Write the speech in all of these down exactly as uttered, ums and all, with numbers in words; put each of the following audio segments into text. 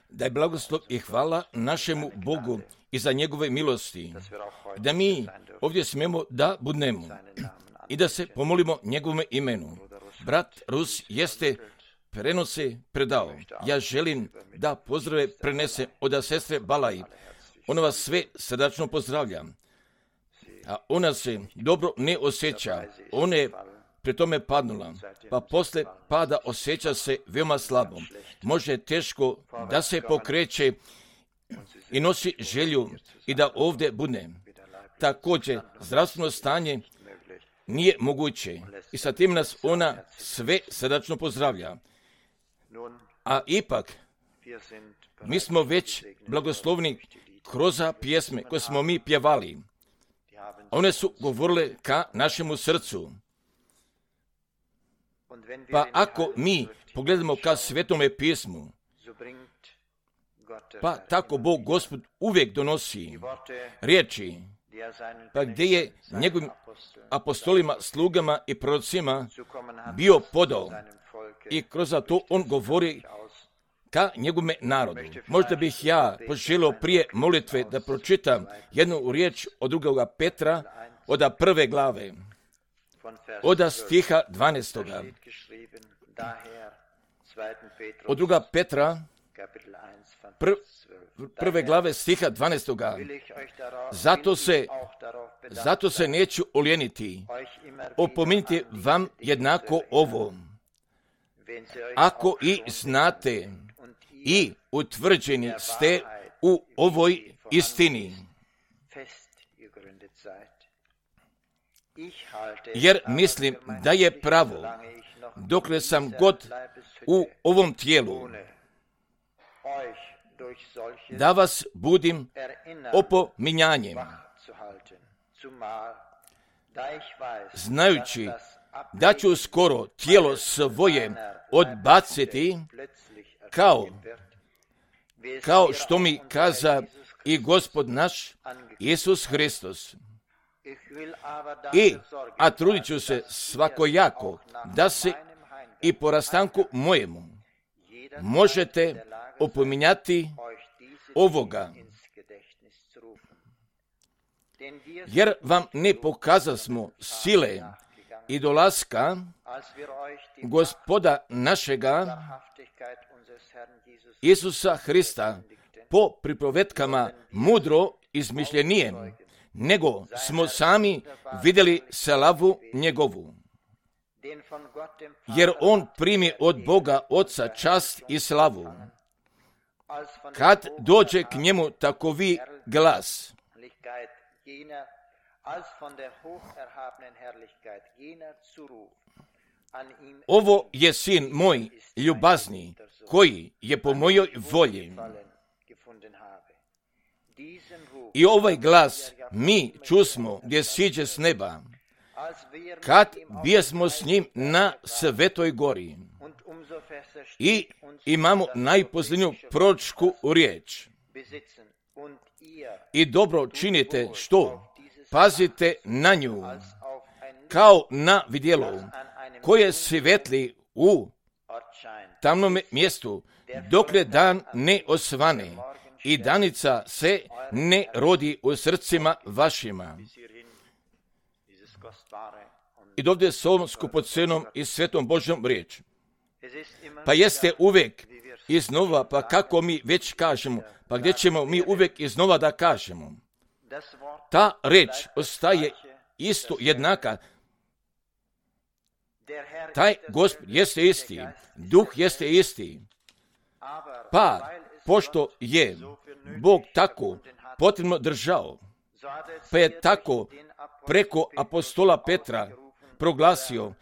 Da je blagoslov i hvala našemu Bogu i za njegove milosti, da mi ovdje smemo da budnemo i da se pomolimo njegovome imenu. Brat Rus jeste prenose predao. Ja želim da pozdrave prenese od sestre Balaj. Ona vas sve srdačno pozdravlja. A ona se dobro ne osjeća. Ona je pri tome padnula, pa posle pada osjeća se veoma slabo. Može teško da se pokreće i nosi želju i da ovdje bude. Također, zdravstveno stanje nije moguće i sa tim nas ona sve srdačno pozdravlja. A ipak, mi smo već blagoslovni kroz pjesme koje smo mi pjevali. One su govorile ka našemu srcu. Pa ako mi pogledamo ka Svetome pismu, pa tako Bog Gospod uvijek donosi riječi, pa gdje je njegovim apostolima, slugama i prorocima bio podao i kroz to on govori ka njegovome narodu. Možda bih ja poželio prije molitve da pročitam jednu riječ od drugoga Petra, od prve glave, od stiha dvanaestoga. Od druga Petra, pr, prve glave stiha dvanaestoga. Zato se, zato se neću oljeniti. Opominjte vam jednako ovo. Ako i znate i utvrđeni ste u ovoj istini. Jer mislim da je pravo, dokle sam god u ovom tijelu, da vas budim opominjanjem, znajući da ću skoro tijelo svoje odbaciti, kao, kao što mi kaza i Gospod naš Isus Hristos. I, a trudit ću se svakojako da se i po rastanku mojemu možete opominjati ovoga. Jer vam ne pokazasmo sile i dolaska Gospoda našega Isusa Hrista po pripovetkama mudro izmišljenijem, nego smo sami vidjeli slavu njegovu. Jer on primi od Boga Oca čast i slavu. Kad dođe k njemu takovi glas, ovo je sin moj ljubazni, koji je po mojoj volji. I ovaj glas mi čusmo gdje siđe s neba, kad bijesmo s njim na Svetoj gori. I imamo najposljednju proročku riječ. I dobro činite što? Pazite na nju, kao na vidjelo, koje svetli u tamnom mjestu, dokle dan ne osvane i danica se ne rodi u srcima vašima. I dovdje s ovom skupocenom i svetom Božjom riječ. Pa jeste uvijek iznova, pa kako mi već kažemo, pa gdje ćemo mi uvijek iznova da kažemo. Ta riječ ostaje isto jednaka. Taj Gospod jeste isti, Duh jeste isti. Pa, pošto je Bog tako potrebno držao, pa je tako preko apostola Petra proglasio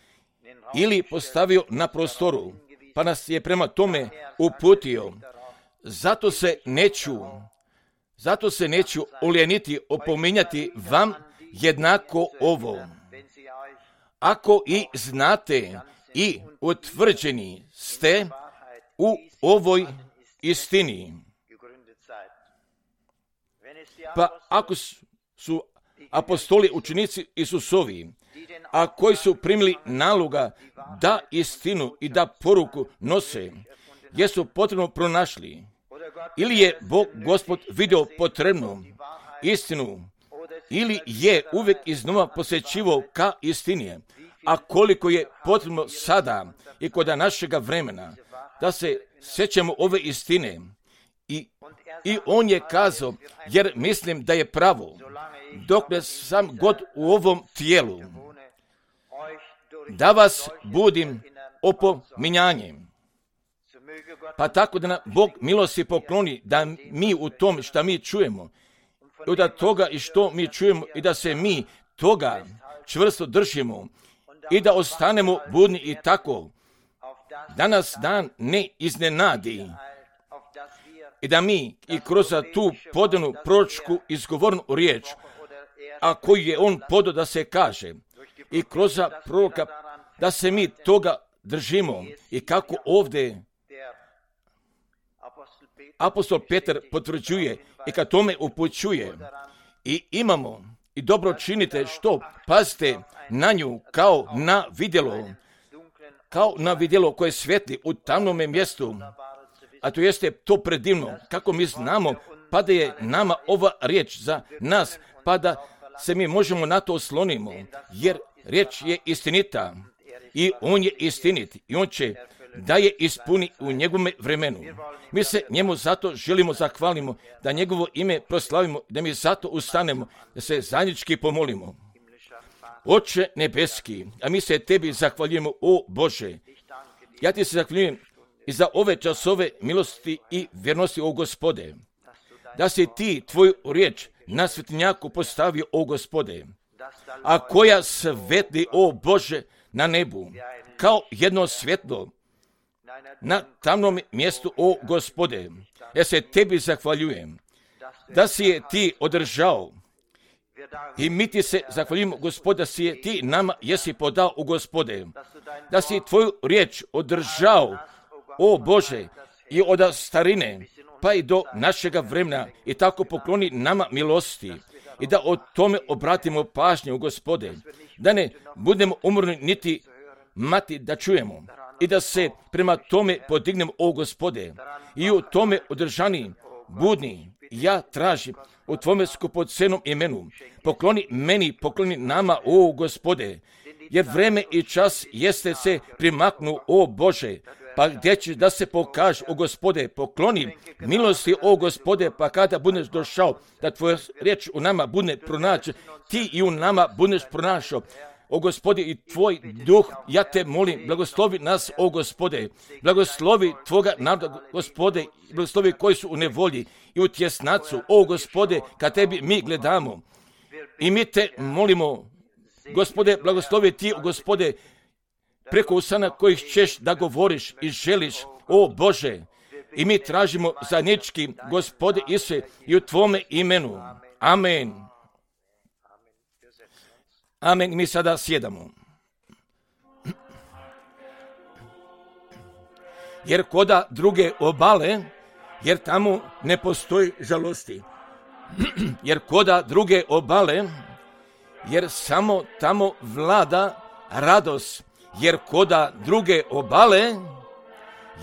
ili postavio na prostoru, pa nas je prema tome uputio. Zato se neću, zato se neću oljeniti opominjati vam jednako ovo. Ako i znate i utvrđeni ste u ovoj istini. Pa ako su apostoli učenici Isusovi, a koji su primili naloga da istinu i da poruku nose, jesu potrebno pronašli, ili je Bog Gospod vidio potrebnu istinu, ili je uvijek iznova posjećivao ka istini, a koliko je potrebno sada i kod našega vremena da se sjećamo ove istine. I, I on je kazao, jer mislim da je pravo, dok sam god u ovom tijelu, da vas budim opominjanjem. Pa tako da nam Bog milosti pokloni da mi u tom što mi čujemo, i da toga i što mi čujemo, i da se mi toga čvrsto držimo i da ostanemo budni i tako, da nas dan ne iznenadi i da mi i kroz tu podanu proročku izgovornu riječ, a koju je on podao da se kaže, i kroz proroka da se mi toga držimo, i kako ovdje apostol Petar potvrđuje i kad tome upućuje, i imamo i dobro činite što, pazite na nju kao na vidjelo, kao na vidjelo koje svijetli u tamnome mjestu, a to jeste to predivno, kako mi znamo, pa da je nama ova riječ za nas, pa da se mi možemo na to oslonimo, jer riječ je istinita i on je istinit i on će da je ispuni u njegovome vremenu. Mi se njemu zato želimo zahvalimo, da njegovo ime proslavimo, da mi zato ustanemo, da se zajednički pomolimo. Oče nebeski, a mi se tebi zahvaljujemo, o Bože. Ja ti se zahvaljujem i za ove časove milosti i vjernosti, o Gospode, da si ti tvoju riječ na svetinjaku postavio, o Gospode, a koja svetli, o Bože, na nebu, kao jedno svjetlo na tamnom mjestu, o Gospode. Ja se tebi zahvaljujem da si je ti održao i mi ti se zahvaljujemo, Gospode, da si je ti nama jesi podao, u Gospode, da si tvoju riječ održao, o Bože, i od starine pa i do našega vremena, i tako pokloni nama milosti i da o tome obratimo pažnju, Gospode, da ne budemo umorni niti mati da čujemo i da se prema tome podignemo, o Gospode, i u tome održani, budni, ja tražim u tvome skupocenom imenu, pokloni meni, pokloni nama, o Gospode, jer vreme i čas jeste se primaknu, o Bože, pa gdje će da se pokaže, o Gospode, pokloni milosti, o Gospode, pa kada budeš došao, da tvoja riječ u nama bude pronaći, ti i u nama budeš pronašao, o Gospode, i tvoj duh, ja te molim, blagoslovi nas, o Gospode, blagoslovi tvoga naroda, Gospode, blagoslovi koji su u nevolji i u tjesnacu, o Gospode, kad tebi mi gledamo, i mi te molimo, Gospode, blagoslovi ti, o Gospode, preko usana kojih ćeš da govoriš i želiš, o Bože, i mi tražimo zajednički, Gospode Isuse, i u tvome imenu. Amen. Amen. Mi sada sjedamo. Jer koda druge obale, jer tamo ne postoji žalosti. Jer koda druge obale, jer samo tamo vlada radost. Jer koda druge obale,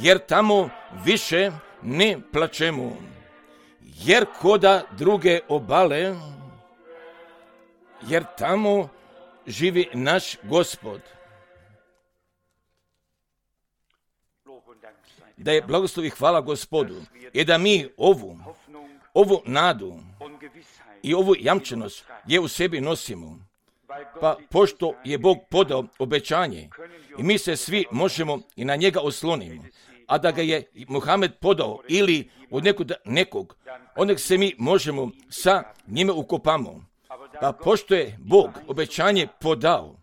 jer tamo više ne plačemo. Jer koda druge obale, jer tamo živi naš Gospod. Da je blagoslov i hvala Gospodu i da mi ovu, ovu nadu i ovu jamčenost je u sebi nosimo. Pa pošto je Bog podao obećanje i mi se svi možemo i na njega oslonimo, a da ga je Muhamed podao ili od nekog, nekog onda se mi možemo sa njime ukopamo. Pa pošto je Bog obećanje podao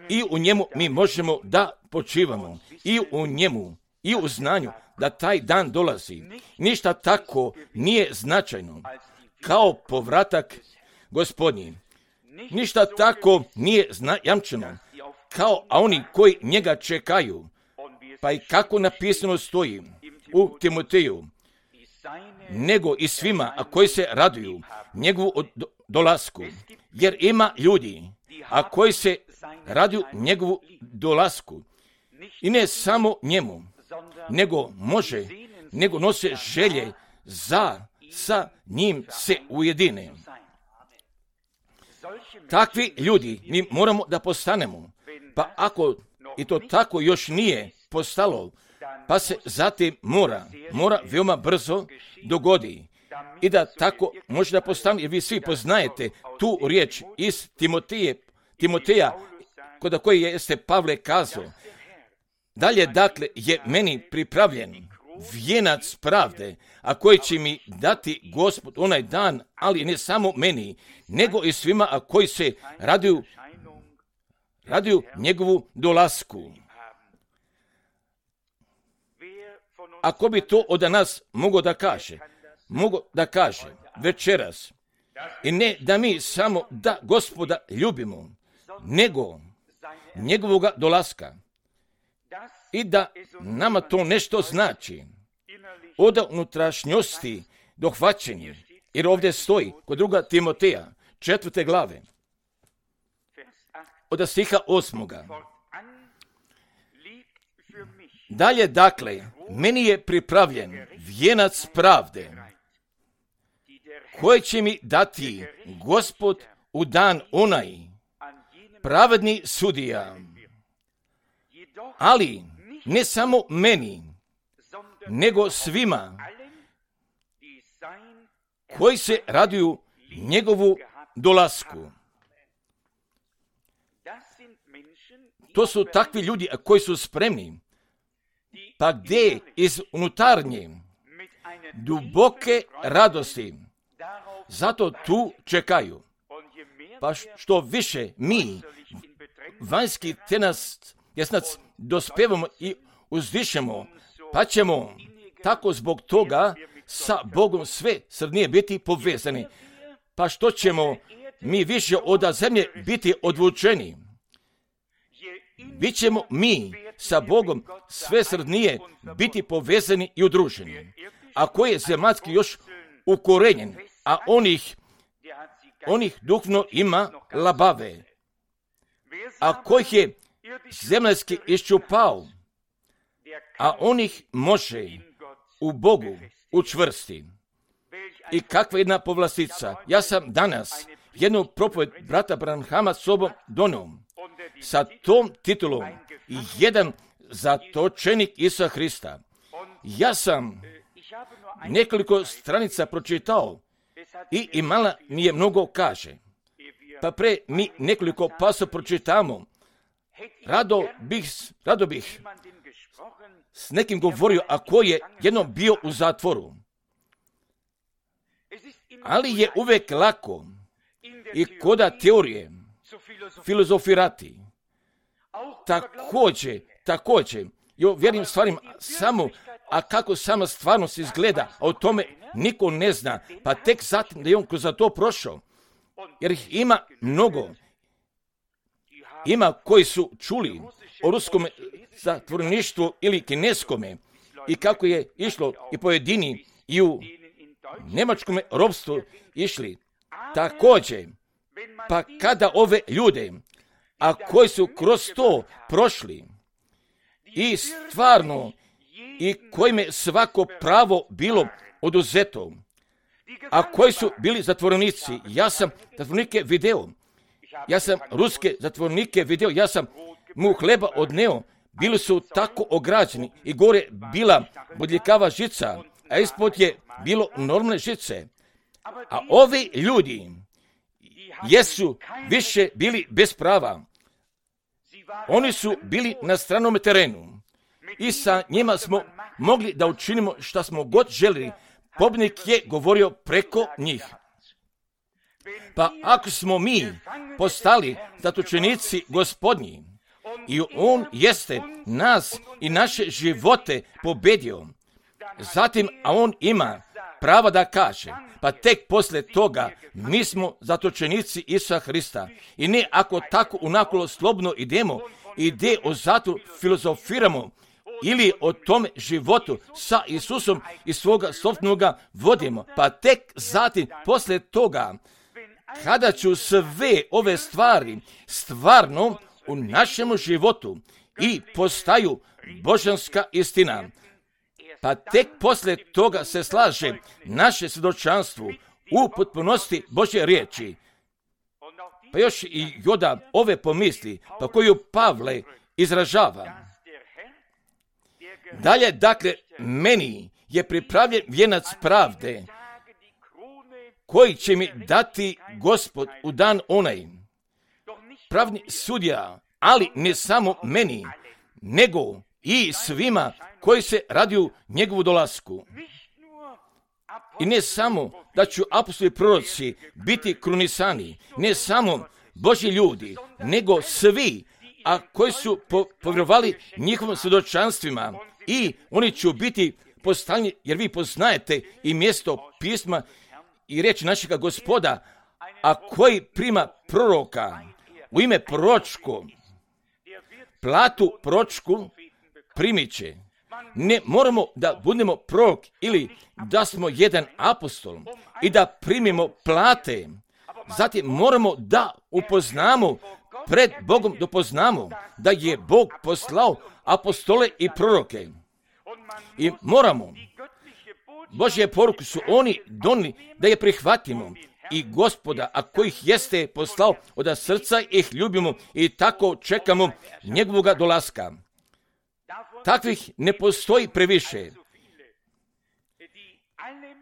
i u njemu mi možemo da počivamo i u njemu i u znanju da taj dan dolazi. Ništa tako nije značajno kao povratak Gospodnji. Ništa tako nije jamčeno kao a oni koji njega čekaju. Pa i kako napisano stoji u Timoteju, nego i svima a koji se raduju njegovu dolasku. Jer ima ljudi a koji se raduju njegovu dolasku i ne samo njemu, nego može, nego nose želje za sa njim se ujedine. Takvi ljudi mi moramo da postanemo, pa ako i to tako još nije postalo, pa se zatim mora, mora veoma brzo dogodi i da tako može da postane, jer vi svi poznajete tu riječ iz Timoteje, Timoteja, kod koje jeste Pavle kazao. Dalje, dakle, je meni pripravljen vijenac pravde, a koji će mi dati Gospod onaj dan, ali ne samo meni, nego i svima, a koji se raduju, raduju njegovu dolasku. Ako bi to od nas mogo da kaže, mogo da kaže večeras, i ne da mi samo da Gospoda ljubimo, nego njegovoga dolaska, i da nama to nešto znači od unutrašnjosti dohvaćenje, jer ovdje stoji kod druga Timoteja, četvrte glave, od stiha osmoga. Dalje, dakle, meni je pripravljen vijenac pravde, koji će mi dati Gospod u dan onaj, pravedni sudija. Ali ne samo meni, nego svima koji se raduju njegovu dolasku. To su takvi ljudi koji su spremni, pa gdje iz unutarnje duboke radosti, zato tu čekaju. Pa što više mi vanjski tenas jesnac dospevamo i uzdišemo, pa ćemo tako zbog toga sa Bogom sve srdnije biti povezani. Pa što ćemo mi više od zemlje biti odvučeni? Bićemo mi sa Bogom sve srdnije biti povezani i udruženi. Ako je zemaljski još ukorenjen, a onih, onih duhovno ima labave, a kojih je zemaljski iščupao, a onih može u Bogu učvrsti. I kakva jedna povlastica. Ja sam danas jednu propoved brata Branhama sobom donio sa tom titulom jedan zatočenik Isusa Hrista. Ja sam nekoliko stranica pročitao i imala mi je mnogo kaže. Pa pre mi nekoliko paso pročitamo. Rado bih, rado bih s nekim govorio, a ko je jednom bio u zatvoru. Ali je uvek lako i koda teorije filozofirati. Također, također, jo vjerim stvarima samo, a kako sama stvarnost izgleda, a o tome niko ne zna, pa tek zatim da je on kroz to prošao, jer ih ima mnogo. Ima koji su čuli o ruskom zatvoreništvu ili kineskome i kako je išlo i pojedini i u njemačkom ropstvu išli. Također, pa kada ove ljude, a koji su kroz to prošli i stvarno i kojim je svako pravo bilo oduzeto, a koji su bili zatvorenici, ja sam zatvorenike video, ja sam ruske zatvornike video, ja sam mu hleba odneo, bili su tako ograđeni i gore bila bodljikava žica, a ispod je bilo normalne žice. A ovi ljudi jesu više bili bez prava. Oni su bili na stranom terenu i sa njima smo mogli da učinimo šta smo god želili. Pobjednik je govorio preko njih. Pa ako smo mi postali zatočenici Gospodnji i on jeste nas i naše živote pobedio, zatim, a on ima pravo da kaže, pa tek posle toga mi smo zatočenici Isusa Hrista. I ne ako tako unakolo slobodno idemo i gdje o zatvoru filozofiramo ili o tome životu sa Isusom i svoga sopnoga vodimo, pa tek zatim posle toga, kada ću sve ove stvari stvarno u našem životu i postaju božanska istina, pa tek poslije toga se slaže naše svjedočanstvo u potpunosti Božje riječi. Pa još i Joda ove pomisli, pa koju Pavle izražava. Dalje, dakle, meni je pripravljen vijenac pravde, koji će mi dati Gospod u dan onaj. Pravni sudija, ali ne samo meni, nego i svima koji se raduju njegovu dolasku. I ne samo da ću apostoli proroci biti krunisani, ne samo Božji ljudi, nego svi, a koji su po, povjerovali njihovim svjedočanstvima, i oni će biti postavljeni, jer vi poznajete i mjesto pisma i riječi našega Gospoda, a koji prima proroka u ime proročko, platu proročku primit će. Ne moramo da budemo prorok ili da smo jedan apostol i da primimo plate. Zatim moramo da upoznamo pred Bogom, da poznamo da je Bog poslao apostole i proroke. I moramo, Božje poruke su oni donijeli da je prihvatimo. I Gospoda, a kojih jeste poslao od srca, ih ljubimo i tako čekamo njegovoga dolaska. Takvih ne postoji previše.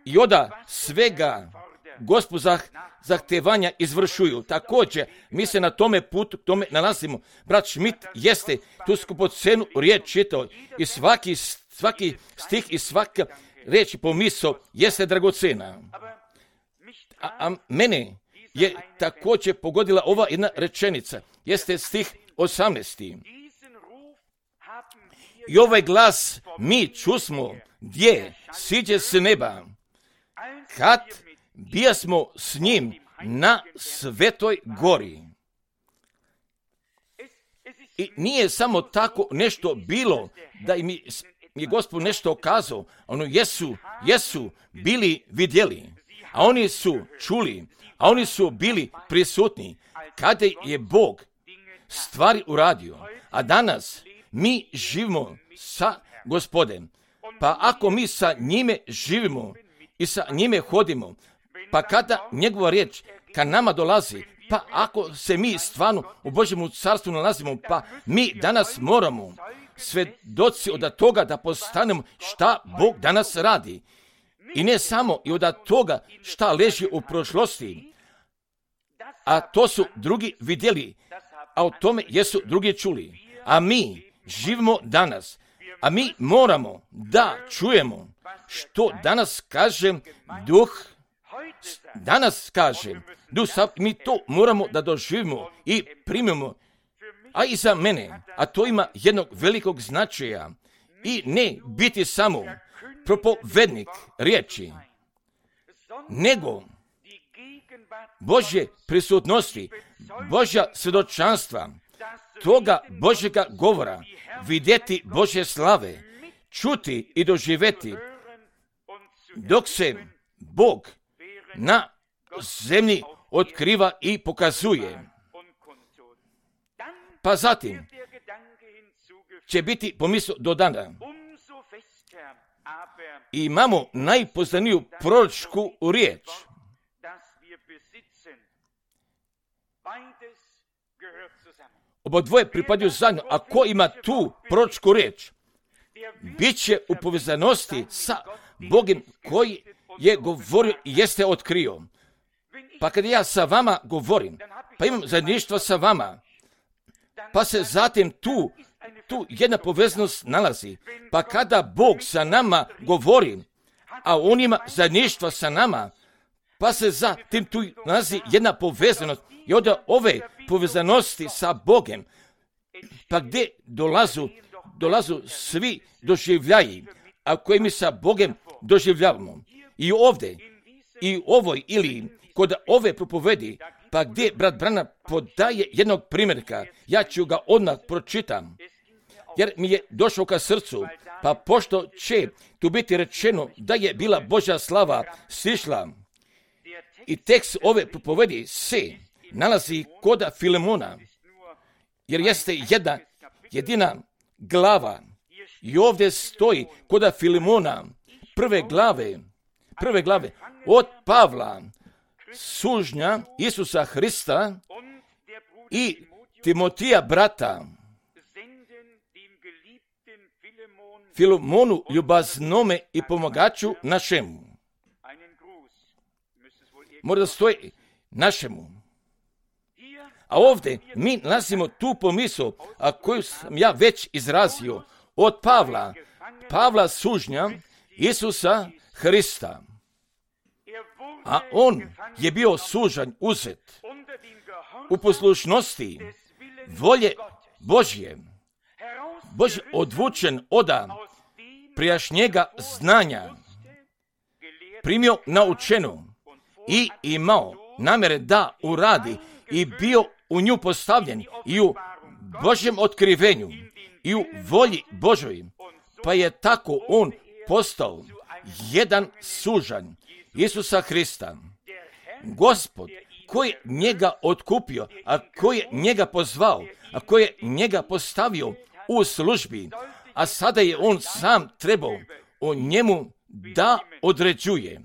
I onda svega Gospoda zahtevanja izvršuju. Također, mi se na tome putu tome nalazimo. Brat Schmidt jeste tu skupocenu riječ čitao i svaki, svaki stih i svaka riječ i pomisao jeste dragocena. A, a mene je također pogodila ova jedna rečenica. Jeste stih osamnaesti. I ovaj glas mi čusmo, gdje siđe s neba, kad bijasmo s njim na svetoj gori. I nije samo tako nešto bilo da im je Gospod nešto okazao. Ono jesu, jesu bili vidjeli, a oni su čuli, a oni su bili prisutni kada je Bog stvari uradio. A danas mi živimo sa Gospodem. Pa ako mi sa njime živimo i sa njime hodimo, pa kada njegova riječ ka nama dolazi, pa ako se mi stvarno u Božjem carstvu nalazimo, pa mi danas moramo svjedoci od toga da postanemo šta Bog danas radi. I ne samo i od toga šta leži u prošlosti, a to su drugi vidjeli, a o tome jesu drugi čuli. A mi živimo danas, a mi moramo da čujemo što danas kaže Duh, danas kaže Duh, mi to moramo da doživimo i primimo. A i za mene, a to ima jednog velikog značaja, i ne biti samo propovednik riječi, nego Božje prisutnosti, Božja svjedočanstva, toga Božjega govora, vidjeti Božje slave, čuti i doživjeti, dok se Bog na zemlji otkriva i pokazuje. Pa zatim će biti pomisao do dana. I imamo najpoznaniju proročku riječ. Oba dvoje pripadaju zajedno, a ko ima tu proročku riječ, bit će u povezanosti sa Bogom koji je govorio i jeste otkrio. Pa kad ja sa vama govorim, pa imam zajedništvo sa vama, pa se zatim tu, tu jedna povezanost nalazi. Pa kada Bog sa nama govori, a on ima zajedništvo sa nama, pa se zatim tu nalazi jedna povezanost. I onda ove povezanosti sa Bogom, pa gdje dolazu, dolazu svi doživljaji, a koji mi sa Bogom doživljavamo. I ovdje, i ovoj ili kod ove propovedi, pa gdje brat Branham podaje jednog primjerka, ja ću ga odmah pročitam, jer mi je došao ka srcu, pa pošto će tu biti rečeno da je bila Božja slava sišla, i tekst ove propovedi se nalazi kod Filemona, jer jeste jedna jedina glava. I ovdje stoji koda Filimona, prve glave, prve glave, od Pavla, sužnja Isusa Hrista i Timotija brata, Filimonu ljubaznome i pomagaču našemu. Mora da stoji našemu. A ovdje mi nalazimo tu pomisao, a koju sam ja već izrazio, od Pavla, Pavla sužnja Isusa Hrista. A on je bio sužanj uzet u poslušnosti volje Božje. Božje odvučen oda prijašnjega znanja, primio naučenu i imao namere da uradi i bio u nju postavljen i u Božjem otkrivenju i u volji Božoj, pa je tako on postao jedan sužanj Isusa Hrista. Gospod koji je njega otkupio, a koji je njega pozvao, a koji je njega postavio u službi, a sada je on sam trebao o njemu da određuje.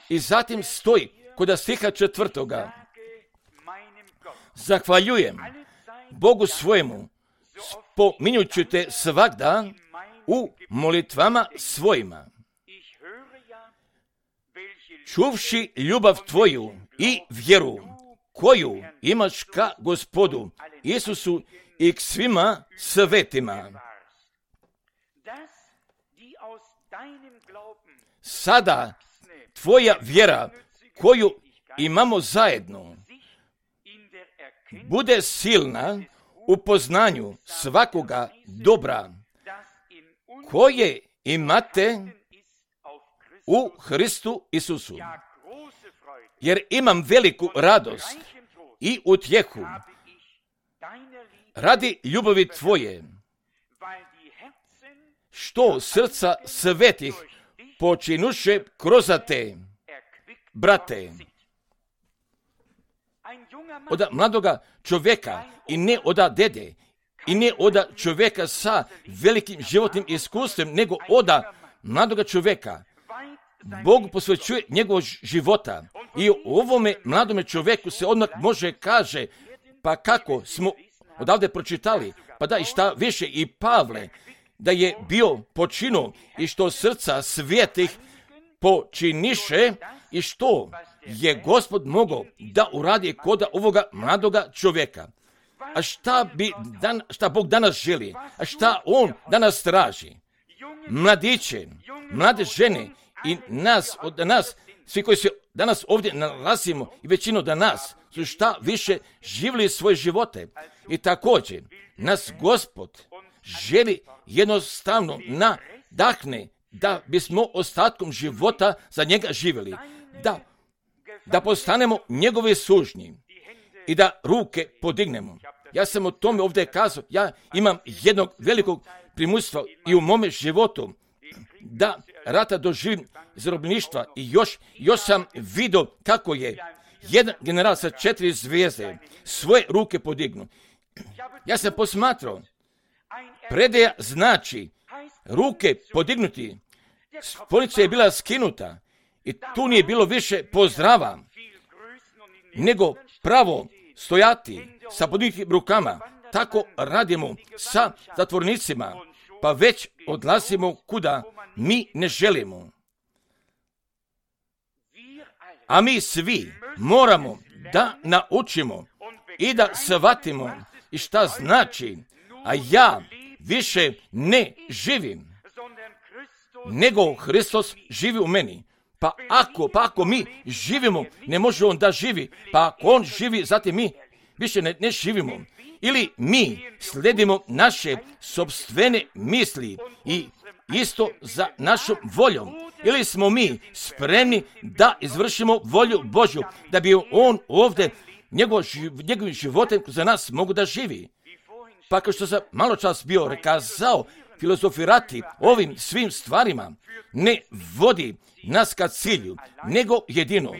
I zatim stoji kod stiha četvrtoga. Zahvaljujem Bogu svojemu, spominjući te svagda u molitvama svojima. Čuvši ljubav tvoju i vjeru koju imaš ka Gospodu Isusu i k svima svetima. Sada tvoja vjera koju imamo zajedno bude silna u poznanju svakoga dobra koje imate u Hristu Isusu. Jer imam veliku radost i utjehu radi ljubavi tvoje, što srca svetih počinuše kroz te, brate. Od mladoga čovjeka i ne od dede i ne od čovjeka sa velikim životnim iskustvom, nego od mladoga čovjeka. Bog posvećuje njegovog života i o ovome mladome čovjeku se odmah može kaže, pa kako smo odavde pročitali, pa da i šta više i Pavle, da je bio počinu i što srca svetih počiniše i što je Gospod mogao da uradi kod ovoga mladoga čovjeka. A šta, bi dan, šta Bog danas želi? A šta On danas traži? Mladiće, mlade žene i nas, od nas, svi koji se danas ovdje nalazimo i većinu da nas, su šta više živjeli svoje živote. I također, nas Gospod želi jednostavno nadahne da bismo ostatkom života za njega živjeli. Da, da postanemo njegovi sužnji i da ruke podignemo. Ja sam o tome ovdje kazao, ja imam jednog velikog primustva i u mome životu da rata doživim zarobljeništva i još, još sam vidio kako je jedan general sa četiri zvijezde svoje ruke podignu. Ja sam posmatrao, predaja znači ruke podignuti, sponica je bila skinuta i tu nije bilo više pozdrava, nego pravo stojati sa podignutim rukama. Tako radimo sa zatvornicima, pa već odlazimo kuda mi ne želimo. A mi svi moramo da naučimo i da shvatimo i šta znači, a ja više ne živim, nego Hristos živi u meni. Pa ako, pa ako mi živimo, ne može On da živi, pa ako On živi, zatim mi više ne, ne živimo. Ili mi sledimo naše sopstvene misli i isto za našom voljom. Ili smo mi spremni da izvršimo volju Božju, da bi On ovdje njegov, njegovim životem za nas mogu da živi. Pa kao što sam malo čas bio rekazao, filozofirati ovim svim stvarima ne vodi nas ka cilju, nego jedino.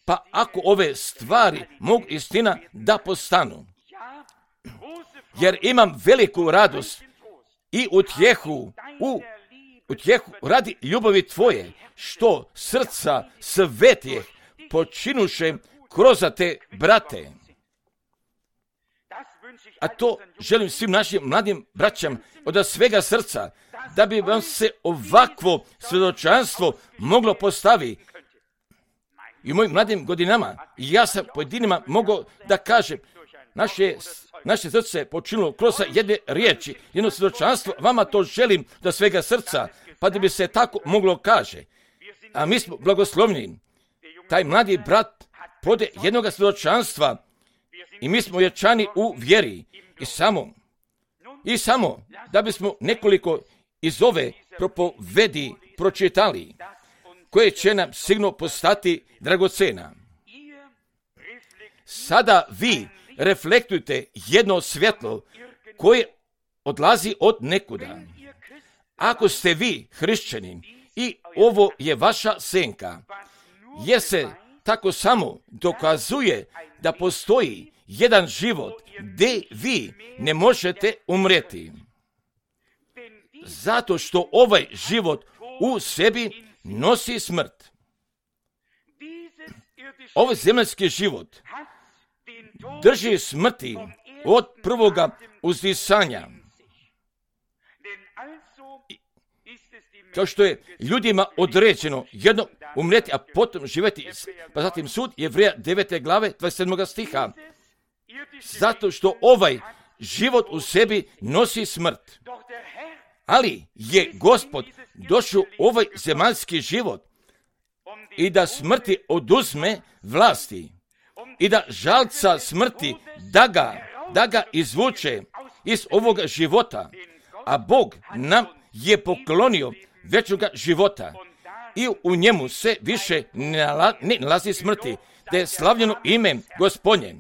Pa ako ove stvari mogu istina da postanu, jer imam veliku radost i utjehu, u utjehu radi ljubavi tvoje, što srca svetijeh počinuše kroz te brate. A to želim svim našim mladim braćam od svega srca, da bi vam se ovakvo svjedočanstvo moglo postaviti. I u mojim mladim godinama, ja sam pojedinima mogao da kažem, naše, naše srce je počinilo kroz jedne riječi, jedno svjedočanstvo, vama to želim do svega srca, pa da bi se tako moglo kaže. A mi smo blagoslovni. Taj mladi brat pode jednog svjedočanstva i mi smo jačani u vjeri. I samo, i samo da bismo nekoliko iz ove propovedi pročitali, koje će nam sigurno postati dragocena. Sada vi reflektujte jedno svjetlo koje odlazi od nekuda. Ako ste vi hrišćanin i ovo je vaša senka, jer se tako samo dokazuje da postoji jedan život gdje vi ne možete umreti. Zato što ovaj život u sebi nosi smrt. Ovaj zemaljski život drži smrti od prvoga uzdisanja. Kao što je ljudima određeno jedno umreti, a potom živjeti, pa zatim sud Jevreja devete glave dvadeset sedmog stiha. Zato što ovaj život u sebi nosi smrt. Ali je Gospod došao u ovaj zemaljski život i da smrti oduzme vlasti i da žalca smrti da ga, da ga izvuče iz ovoga života. A Bog nam je poklonio večnoga života i u njemu se više ne nalazi smrti, da je slavljeno ime Gospodnje.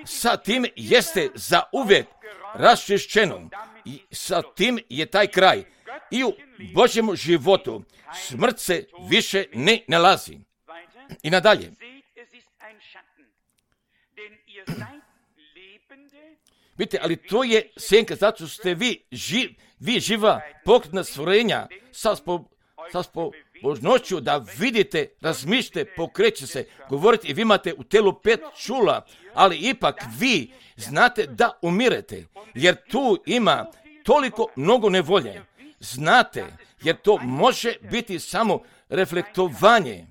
Sa tim jeste za uvijek raščišćeno i sa tim je taj kraj. I u Božjemu životu smrt se više ne nalazi. I nadalje. Vidite, ali to je senka, zato što ste vi, živ, vi živa pokretna stvorenja sa, spo, sa spobožnošću da vidite, razmišljate, pokreće se, govorite i vi imate u telu pet čula, ali ipak vi znate da umirete, jer tu ima toliko mnogo nevolje. Znate, jer to može biti samo reflektovanje.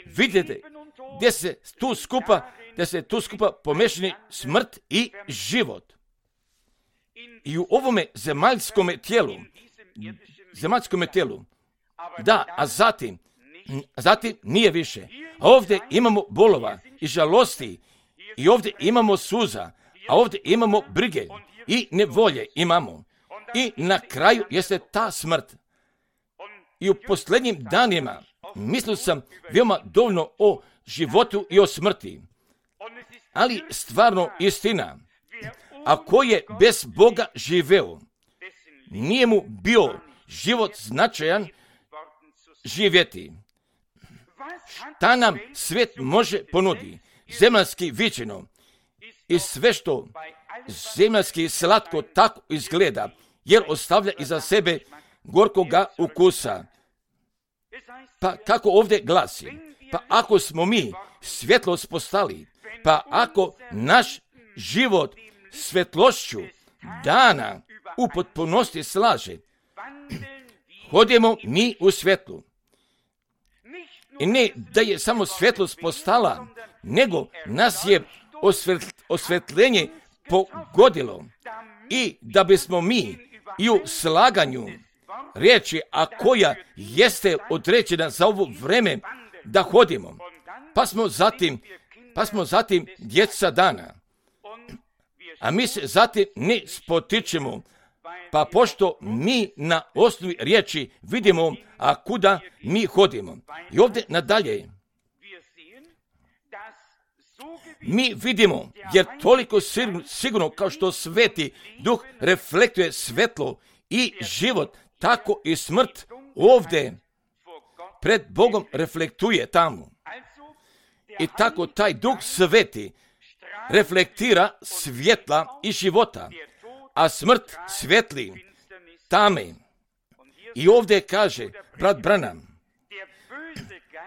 Vidite, gdje se tu skupa, gdje se tu skupa pomešani smrt i život. I u ovome zemaljskome tijelu, zemaljskome tijelu, da, a zatim, zatim nije više. A ovdje imamo bolova i žalosti, i ovdje imamo suza, a ovdje imamo brige i nevolje imamo. I na kraju jeste ta smrt. I u posljednjim danima mislio sam veoma dovoljno o životu i o smrti. Ali stvarno istina, ako je bez Boga živeo, nije mu bio život značajan živjeti. Šta nam svijet može ponudi? Zemaljski viđeno i sve što zemaljski slatko tako izgleda, jer ostavlja iza sebe gorkoga ukusa. Pa kako ovdje glasi? Pa ako smo mi svjetlost postali, pa ako naš život svjetlošću dana u potpunosti slaže, hodimo mi u svjetlu. I ne da je samo svjetlost postala, nego nas je osvjetljenje pogodilo. I da bismo mi i u slaganju riječi, a koja jeste određena za ovo vreme, da hodimo. Pa smo zatim, pa smo zatim djeca dana. A mi se zatim ne spotičemo, pa pošto mi na osnovi riječi vidimo, a kuda mi hodimo. I ovdje nadalje mi vidimo, jer toliko sigurno kao što sveti duh reflektuje svetlo i život, tako i smrt ovdje pred Bogom reflektuje tamo. I tako taj duh sveti reflektira svjetla i života, a smrt svetli tame. I ovdje kaže brat Branham,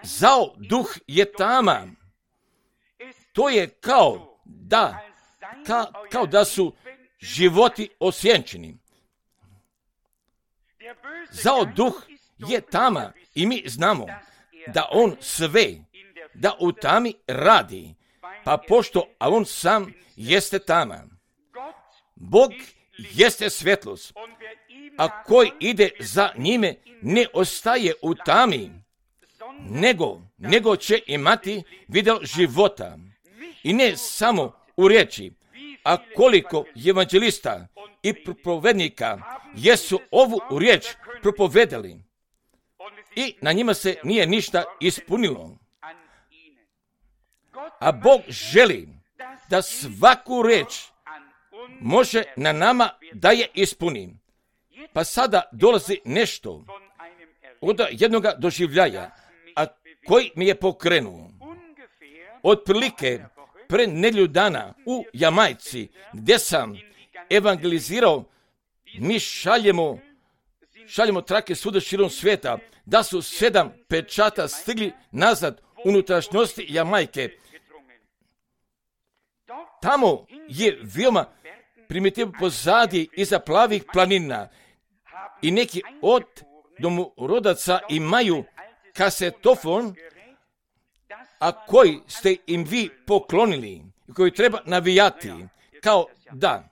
zao duh je tama. To je kao da, ka, kao da su životi osjenčeni. Zao duh je tama i mi znamo da on sve, da u tami radi, pa pošto, a on sam jeste tama. Bog jeste svjetlost, a koji ide za njime ne ostaje u tami, nego, nego će imati vidjel života. I ne samo u riječi, a koliko evanđelista i propovednika jesu ovu riječ propovedali i na njima se nije ništa ispunilo. A Bog želi da svaku riječ može na nama da je ispuni. Pa sada dolazi nešto od jednog doživljaja, a koji mi je pokrenuo. Otprilike pre nedjelju dana u Jamajci, gdje sam evangelizirao, mi šaljemo, šaljemo trake svuda širom svijeta, da su sedam pečata stigli nazad unutrašnjosti Jamajke. Tamo je veoma primitivno pozadije iza plavih planina i neki od domorodaca imaju kasetofon, a koji ste im vi poklonili, koji treba navijati, kao da.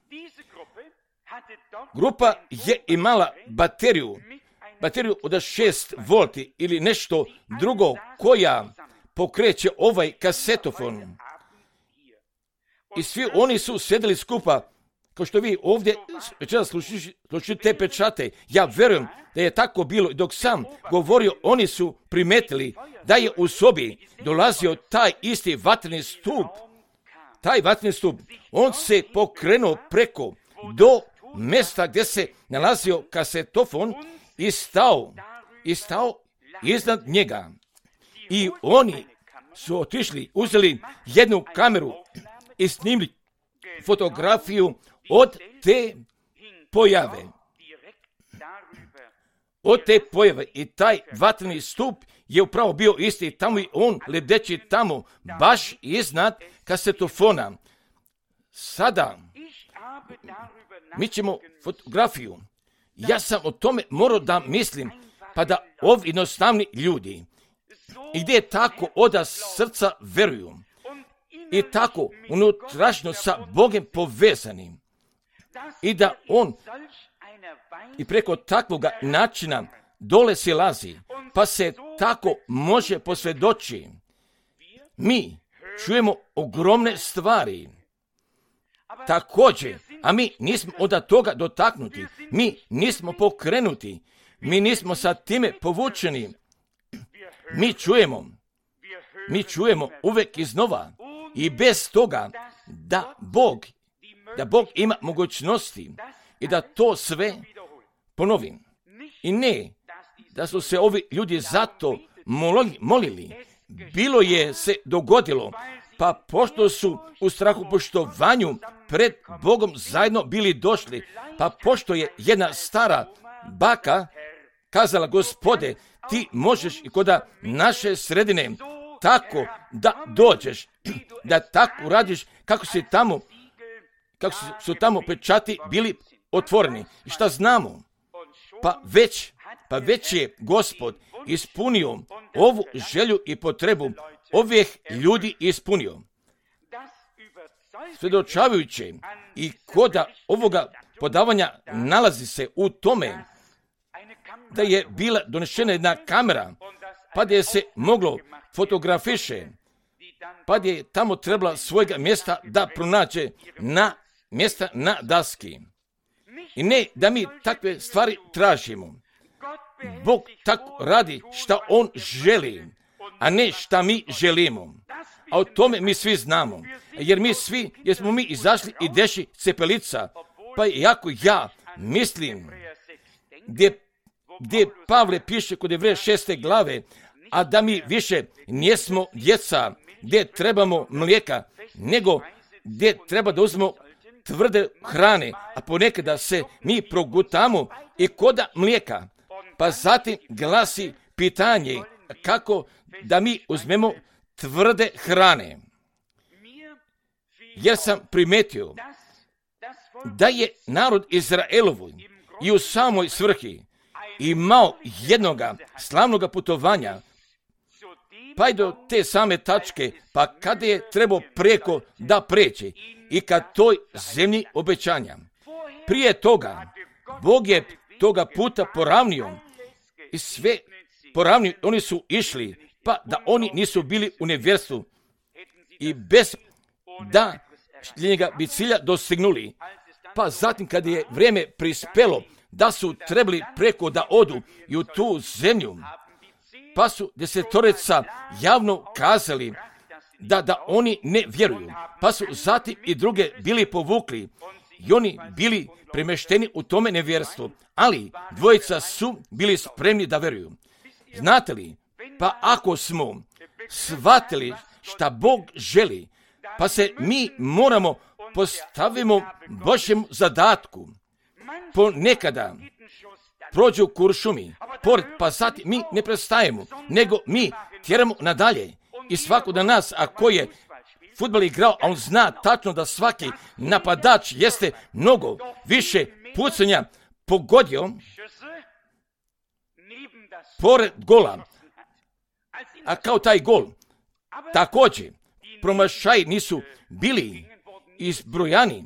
Grupa je imala bateriju, bateriju od šest volti ili nešto drugo koja pokreće ovaj kasetofon. I svi oni su sedeli skupa, kao što vi ovdje večeras slušate te pečate. Ja vjerujem da je tako bilo. Dok sam govorio, oni su primetili da je u sobi dolazio taj isti vatreni stup. Taj vatreni stup, on se pokrenuo preko do mjesta gdje se nalazio kasetofon i stao, i stao iznad njega. I oni su otišli, uzeli jednu kameru i snimili fotografiju od te pojave. Od te pojave. I taj vatreni stup je upravo bio isti tamo i on lebdeći tamo, baš iznad kasetofona. Sada mi ćemo fotografiju. Ja sam o tome morao da mislim, pa da ovi jednostavni ljudi, i gdje tako oda srca veruju, i tako unutrašnjo sa Bogem povezani, i da on i preko takvoga načina dole silazi, pa se tako može posvjedoči. Mi čujemo ogromne stvari. Također, a mi nismo od toga dotaknuti, mi nismo pokrenuti, mi nismo sa time povučeni. Mi čujemo, mi čujemo uvek iznova i bez toga da Bog, da Bog ima mogućnosti i da to sve ponovim. I ne, da su se ovi ljudi zato molili, bilo je se dogodilo, pa pošto su u strahopoštovanju pred Bogom zajedno bili došli, pa pošto je jedna stara baka kazala, Gospode, ti možeš i kod naše sredine tako da dođeš, da tako radiš kako si tamo, kako su tamo pečati bili otvoreni. I šta znamo? Pa već, pa već je Gospod ispunio ovu želju i potrebu ovih ljudi ispunio. Svjedočavajući i koda ovoga podavanja nalazi se u tome da je bila donešena jedna kamera, pa da je se moglo fotografiše, pa da je tamo trebala svojega mjesta da pronađe na mjesta na daski. I ne da mi takve stvari tražimo. Bog tako radi šta On želi, a ne šta mi želimo. A o tome mi svi znamo. Jer mi svi, jer smo mi izašli i deši cepelica. Pa jako ja mislim, gdje, gdje Pavle piše kod Jevreja šeste glave, a da mi više nismo djeca, gdje trebamo mlijeka, nego gdje treba da uzmemo tvrde hrane, a ponekada se mi progutamo i koda mlijeka. Pa zatim glasi pitanje kako da mi uzmemo tvrde hrane. Jer sam primetio da je narod Izraelovu i u samoj svrhi imao jednoga slavnoga putovanja, pa i do te same tačke, pa kada je trebao preko da pređe i ka toj zemlji obećanja. Prije toga, Bog je toga puta poravnio i sve poravnio, oni su išli, pa da oni nisu bili u nevjerstvu i bez da njega bi cilja dostignuli. Pa zatim kad je vrijeme prispelo da su trebali preko da odu i u tu zemlju, pa su desetorica javno kazali da, da oni ne vjeruju. Pa su zatim i druge bili povukli i oni bili premešteni u tome nevjerstvu, ali dvojica su bili spremni da vjeruju. Znate li, pa ako smo shvatili šta Bog želi, pa se mi moramo postavimo Božjem zadatku. Ponekada prođu kuršumi, pored, pa zatim mi ne prestajemo, nego mi tjeramo nadalje. I svako da nas, ako je fudbal igrao, a on zna tačno da svaki napadač jeste mnogo više pucanja pogodio pored gola, a kao taj gol također promašaji nisu bili izbrojani.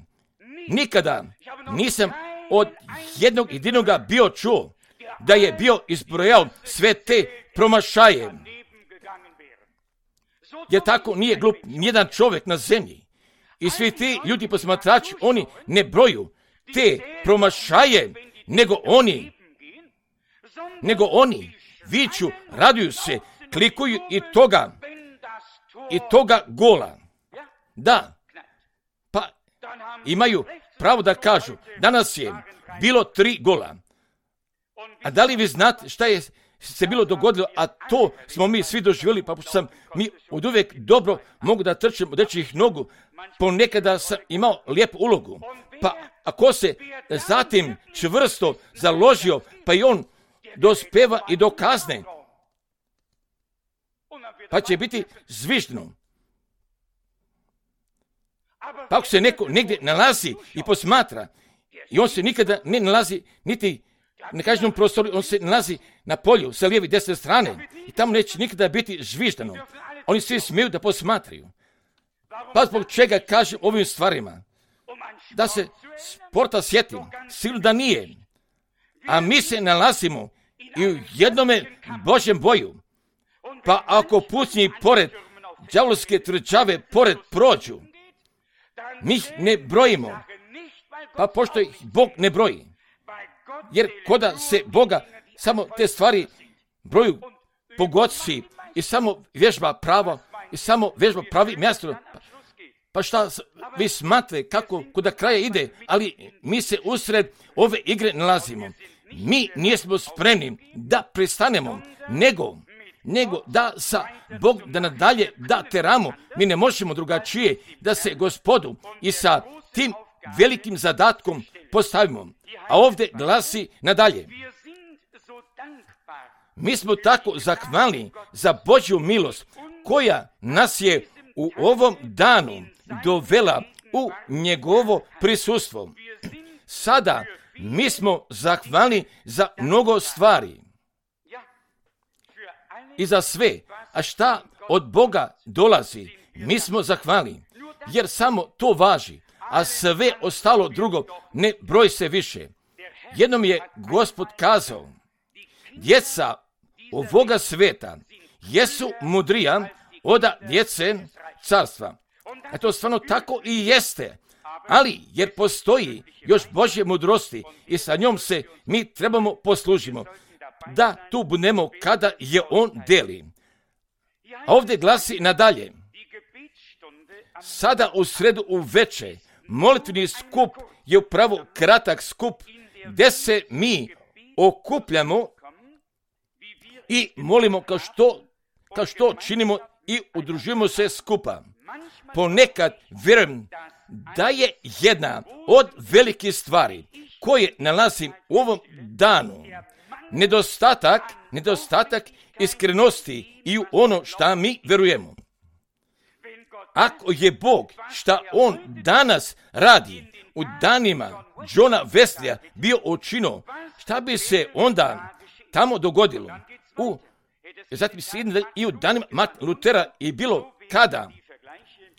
Nikada nisam od jednog jedinoga bio čuo da je bio izbrojao sve te promašaje. Jer tako nije glup nijedan čovjek na zemlji. I svi ti ljudi posmatrači, oni ne broju te promašaje, nego oni, nego oni viču, raduju se, klikuju i toga, i toga gola. Da, pa imaju pravo da kažu, danas je bilo tri gola. A da li vi znate šta je se bilo dogodilo, a to smo mi svi doživjeli, pa sam mi od uvijek dobro mogu da trčem od dečjih nogu, ponekada sam imao lijepu ulogu, pa ako se zatim čvrsto založio, pa i on dospeva i do kazne, pa će biti zviždno. Pa ako se neko negdje nalazi i posmatra, i on se nikada ne nalazi niti na kažem prostoru, on se nalazi na polju sa lijeve i desne strane i tamo neće nikada biti zviždano. Oni svi smiju da posmatraju. Pa zbog čega kažem ovim stvarima? Da se sporta sjetim, sigurno da nije. A mi se nalazimo i u jednome Božjem boju. Pa ako pucnji pored đavolske tvrđave pored prođu, mi ih ne brojimo. Pa pošto ih Bog ne broji. Jer koda se Boga samo te stvari broju pogodci i samo vježba pravo i samo vježba pravi mjesto. Pa šta vi smatrate kako kuda kraja ide, ali mi se usred ove igre nalazimo. Mi nismo spremni da prestanemo, nego, nego da sa Bog da nadalje da teramo. Mi ne možemo drugačije da se Gospodu i sa tim velikim zadatkom postavimo. A ovdje glasi nadalje. Mi smo tako zahvalni za Božju milost koja nas je u ovom danu dovela u njegovo prisustvo. Sada mi smo zahvalni za mnogo stvari i za sve. A šta od Boga dolazi, mi smo zahvalni, jer samo to važi, a sve ostalo drugo ne broj se više. Jednom je Gospod kazao, djeca ovoga sveta jesu mudrija od djece carstva. A to stvarno tako i jeste, ali jer postoji još Božje mudrosti i sa njom se mi trebamo poslužimo, da tu budemo kada je on deli. A ovdje glasi nadalje, sada u sredu u veče, molitveni skup je upravo kratak skup gdje se mi okupljamo i molimo kao što, kao što činimo i udružujemo se skupa. Ponekad vjerujem da je jedna od velikih stvari koje nalazim u ovom danu nedostatak, nedostatak iskrenosti i u ono šta mi verujemo. Ako je Bog šta On danas radi u danima Johna Wesleya bio učinio, šta bi se onda tamo dogodilo? U, zatim se i u danima Martina Lutera i bilo kada.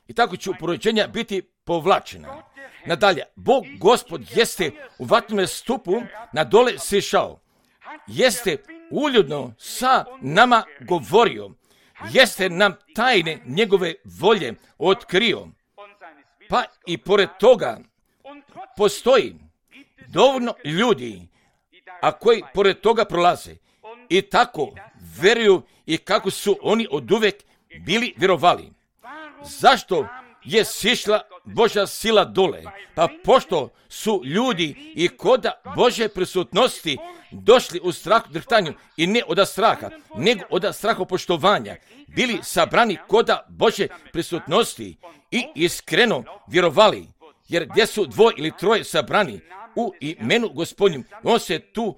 I tako će upoređenja biti povlačena. Nadalje, Bog Gospod jeste u vatrenome stupu na dole sišao. Jeste uljudno sa nama govorio. Jeste nam tajne njegove volje otkrio. Pa i pored toga postoji dovoljno ljudi, a koji pored toga prolaze i tako veruju i kako su oni oduvek bili vjerovali. Zašto je sišla Božja sila dole? Pa pošto su ljudi i kod Božje prisutnosti došli u strahu drhtanju i ne od straha, nego od strahopoštovanja, bili sabrani kod Božje prisutnosti i iskreno vjerovali, jer gdje su dvoje ili troje sabrani u imenu Gospodnjem, on se tu,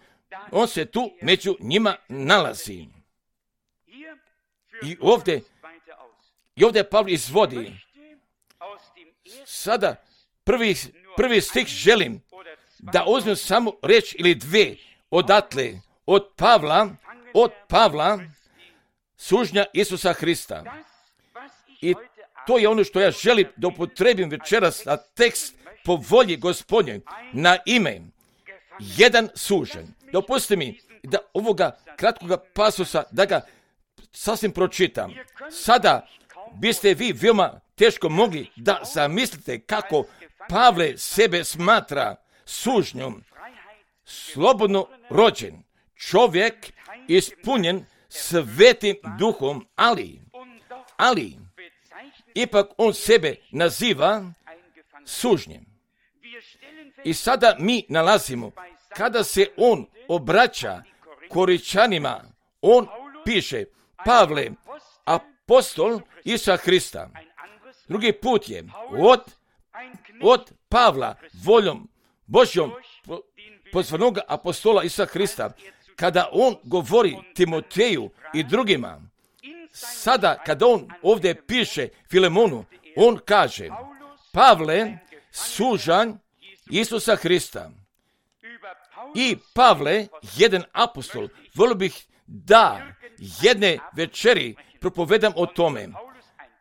on se tu među njima nalazi. I ovdje, i ovdje Pavle izvodi, sada prvi, prvi stih želim da uzmem samo reč ili dve odatle, od Pavla, od Pavla, sužnja Isusa Hrista. I to je ono što ja želim da upotrebim večeras na tekst po volji Gospodnje, na ime jedan sužen. Dopustite mi da ovoga kratkoga pasusa, da ga sasvim pročitam. Sada biste vi veoma teško mogli da zamislite kako Pavle sebe smatra sužnjom, slobodno rođen, čovjek ispunjen svetim duhom, ali, ali, ipak on sebe naziva sužnjem. I sada mi nalazimo, kada se on obraća Koričanima, on piše, Pavle, apostol Isusa Hrista. Drugi put je od, od Pavla, voljom Božjom pozvanog apostola Isusa Hrista, kada on govori Timoteju i drugima. Sada, kada on ovdje piše Filemonu, on kaže, Pavle, sužan Isusa Hrista. I Pavle, jedan apostol, volio bih da jedne večeri propovedam o tome.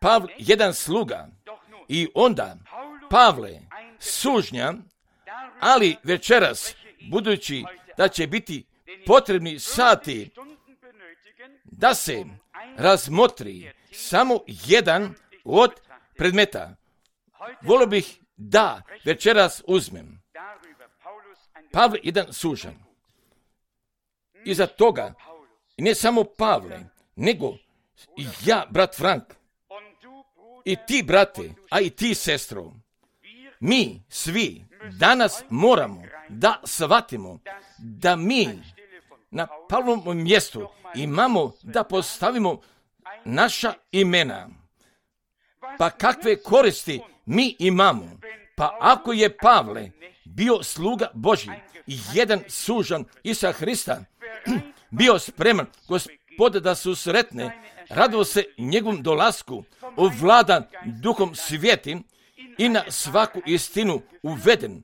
Pavle, jedan sluga. I onda, Pavle, sužnja, ali večeras, budući da će biti potrebni sati da se razmotri samo jedan od predmeta, volio bih da večeras uzmem. Pavle, jedan sužan. Iza toga, ne samo Pavle, nego i ja, brat Frank, i ti, brate, a i ti, sestro, mi svi danas moramo da shvatimo da mi na Pavlovom mjestu imamo da postavimo naša imena. Pa kakve koristi mi imamo? Pa ako je Pavle bio sluga Božji i jedan sužan Isusa Hrista, bio spreman Gospoda da se sretne, radilo se njegovom dolasku, ovladan duhom svijetim i na svaku istinu uveden.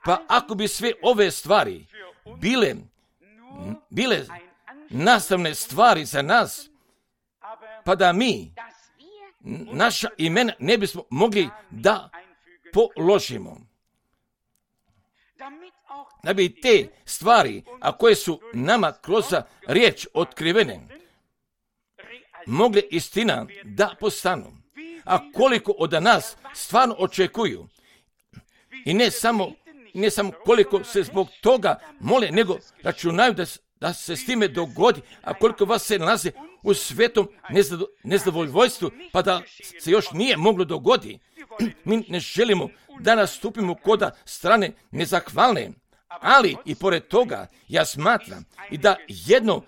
Pa ako bi sve ove stvari bile, bile nastavne stvari za nas, pa da mi naša imena ne bismo mogli da položimo. Da bi te stvari, a koje su nama kroz riječ otkrivene, mogle istina da postanu. A koliko od nas stvarno očekuju. I ne samo, ne samo koliko se zbog toga mole, nego računaju da, da se s time dogodi, a koliko vas se nalaze u svetom nezado, nezadovoljstvu, pa da se još nije moglo dogodi. Mi ne želimo da nastupimo koda strane nezahvalne, ali i pored toga ja smatram i da jedno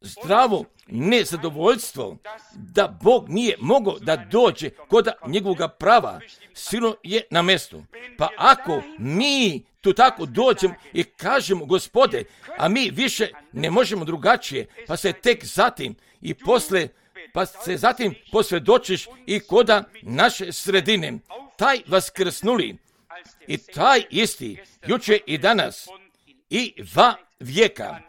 zdravo nezadovoljstvo da Bog nije mogao da dođe kod njegovog prava, sigurno je na mjestu. Pa ako mi tu tako dođemo i kažemo, Gospode, a mi više ne možemo drugačije, pa se tek zatim i posle, pa se zatim posvjedočiš i koda naše sredine, taj vaskrsnuli i taj isti, juče i danas i va vijeka,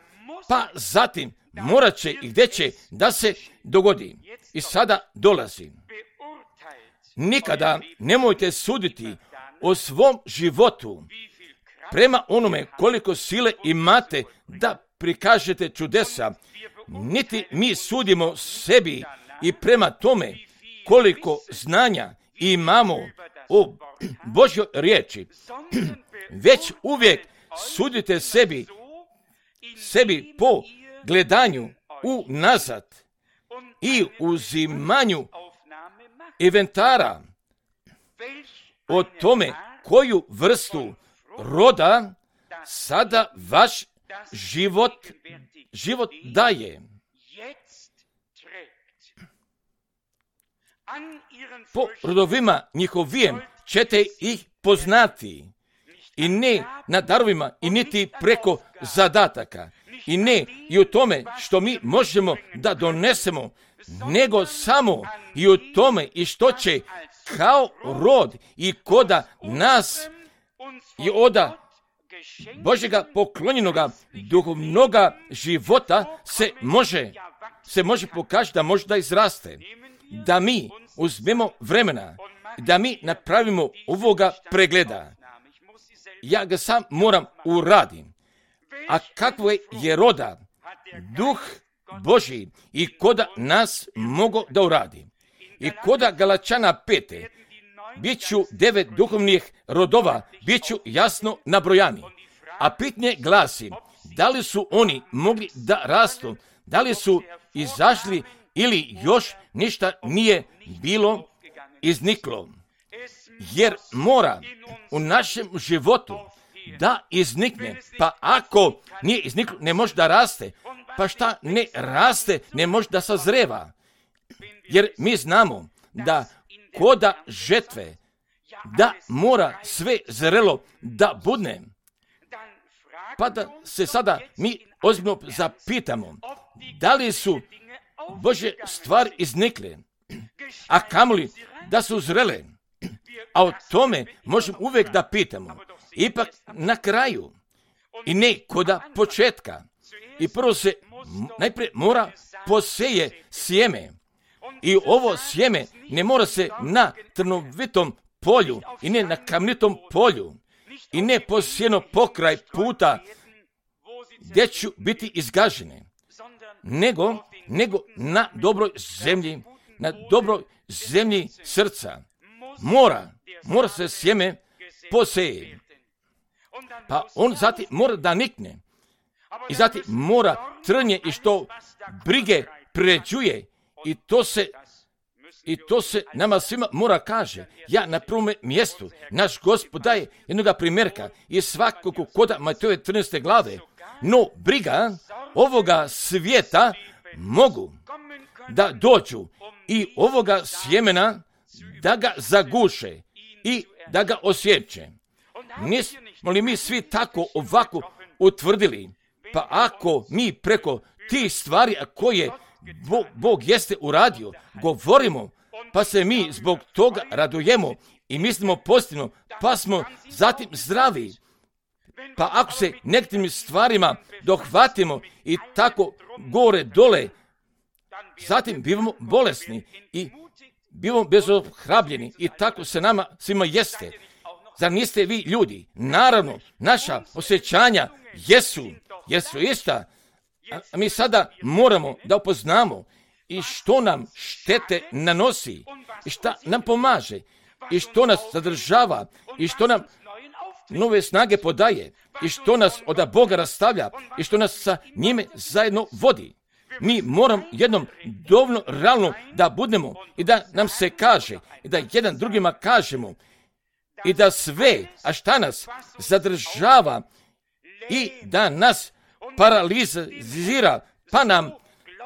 pa zatim morat će i gdje će da se dogodi. I sada dolazi. Nikada nemojte suditi o svom životu prema onome koliko sile imate da prikažete čudesa, niti mi sudimo sebi i prema tome koliko znanja imamo o Božjoj riječi, već uvijek sudite sebi, sebi po gledanju unazad i uzimanju inventara o tome koju vrstu roda sada vaš život, život daje. Po rodovima njihovijem ćete ih poznati, i ne na darovima i niti preko zadataka, i ne i u tome što mi možemo da donesemo, nego samo i u tome i što će kao rod i koda nas i oda Božjega poklonjenoga duhovnoga života se može, se može pokazati da može da izraste, da mi uzmemo vremena, da mi napravimo ovoga pregleda. Ja ga sam moram uradim. A kakvo je roda duh Božji i koda nas mogo da uradi. I koda Galačana pete, bit ću devet duhovnih rodova, bit ću jasno nabrojani. A pitanje glasi, da li su oni mogli da rastu, da li su izašli ili još ništa nije bilo izniklo. Jer mora u našem životu da iznikne, pa ako nije izniklo, ne može da raste, pa šta ne raste, ne može da sazreva. Jer mi znamo da koda žetve, da mora sve zrelo da budne. Pa da se sada mi ozbiljno zapitamo, da li su Božje stvari iznikle, a kamoli da su zrele. A o tome možemo uvijek da pitamo. Ipak na kraju i ne koda početka. I prvo se najprije mora poseje sjeme. I ovo sjeme ne mora se na trnovitom polju i ne na kamenitom polju i ne posijeno pokraj puta gdje ću biti izgažene, nego, nego na dobroj zemlji, na dobroj zemlji srca. Mora, mora se sjeme poseje. Pa on zatim mora da nikne. I zatim mora trnje i što brige pređuje. I to se, i to se nama svima mora kaže. Ja na prvom mjestu, naš Gospod daje jednoga primjerka i svakog koda Matejove trinaeste glave. No briga ovoga svijeta mogu da dođu i ovoga sjemena da ga zaguše i da ga osjeće. Nismo li mi svi tako ovako utvrdili? Pa ako mi preko tih stvari koje Bog, Bog jeste uradio, govorimo, pa se mi zbog toga radujemo i mislimo pozitivno, pa smo zatim zdravi. Pa ako se nekim stvarima dohvatimo i tako gore dole, zatim bivamo bolesni i bivamo bezohrabljeni i tako se nama svima jeste. Zar niste vi ljudi? Naravno, naša osjećanja jesu, jesu ista. A mi sada moramo da upoznamo i što nam štete nanosi, i šta nam pomaže, i što nas zadržava, i što nam nove snage podaje, i što nas od Boga rastavlja, i što nas sa njime zajedno vodi. Mi moramo jednom dovoljno realno da budemo i da nam se kaže, i da jedan drugima kažemo, i da sve, a šta nas zadržava i da nas paralizira, pa nam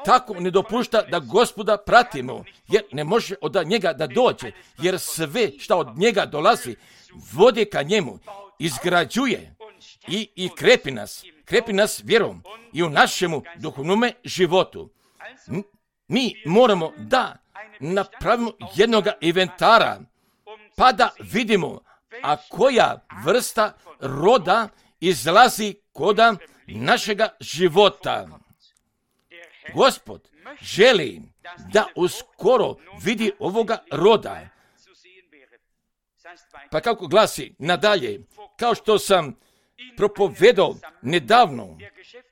tako ne dopušta da Gospoda pratimo, jer ne može od njega da dođe, jer sve što od njega dolazi vodi ka njemu, izgrađuje i, i krepi nas, krepi nas vjerom i u našemu duhovnome životu. Mi moramo da napravimo jednoga inventara, pa da vidimo, a koja vrsta roda izlazi koda našega života. Gospod želi da uskoro vidi ovoga roda. Pa kako glasi nadalje, kao što sam propovedao nedavno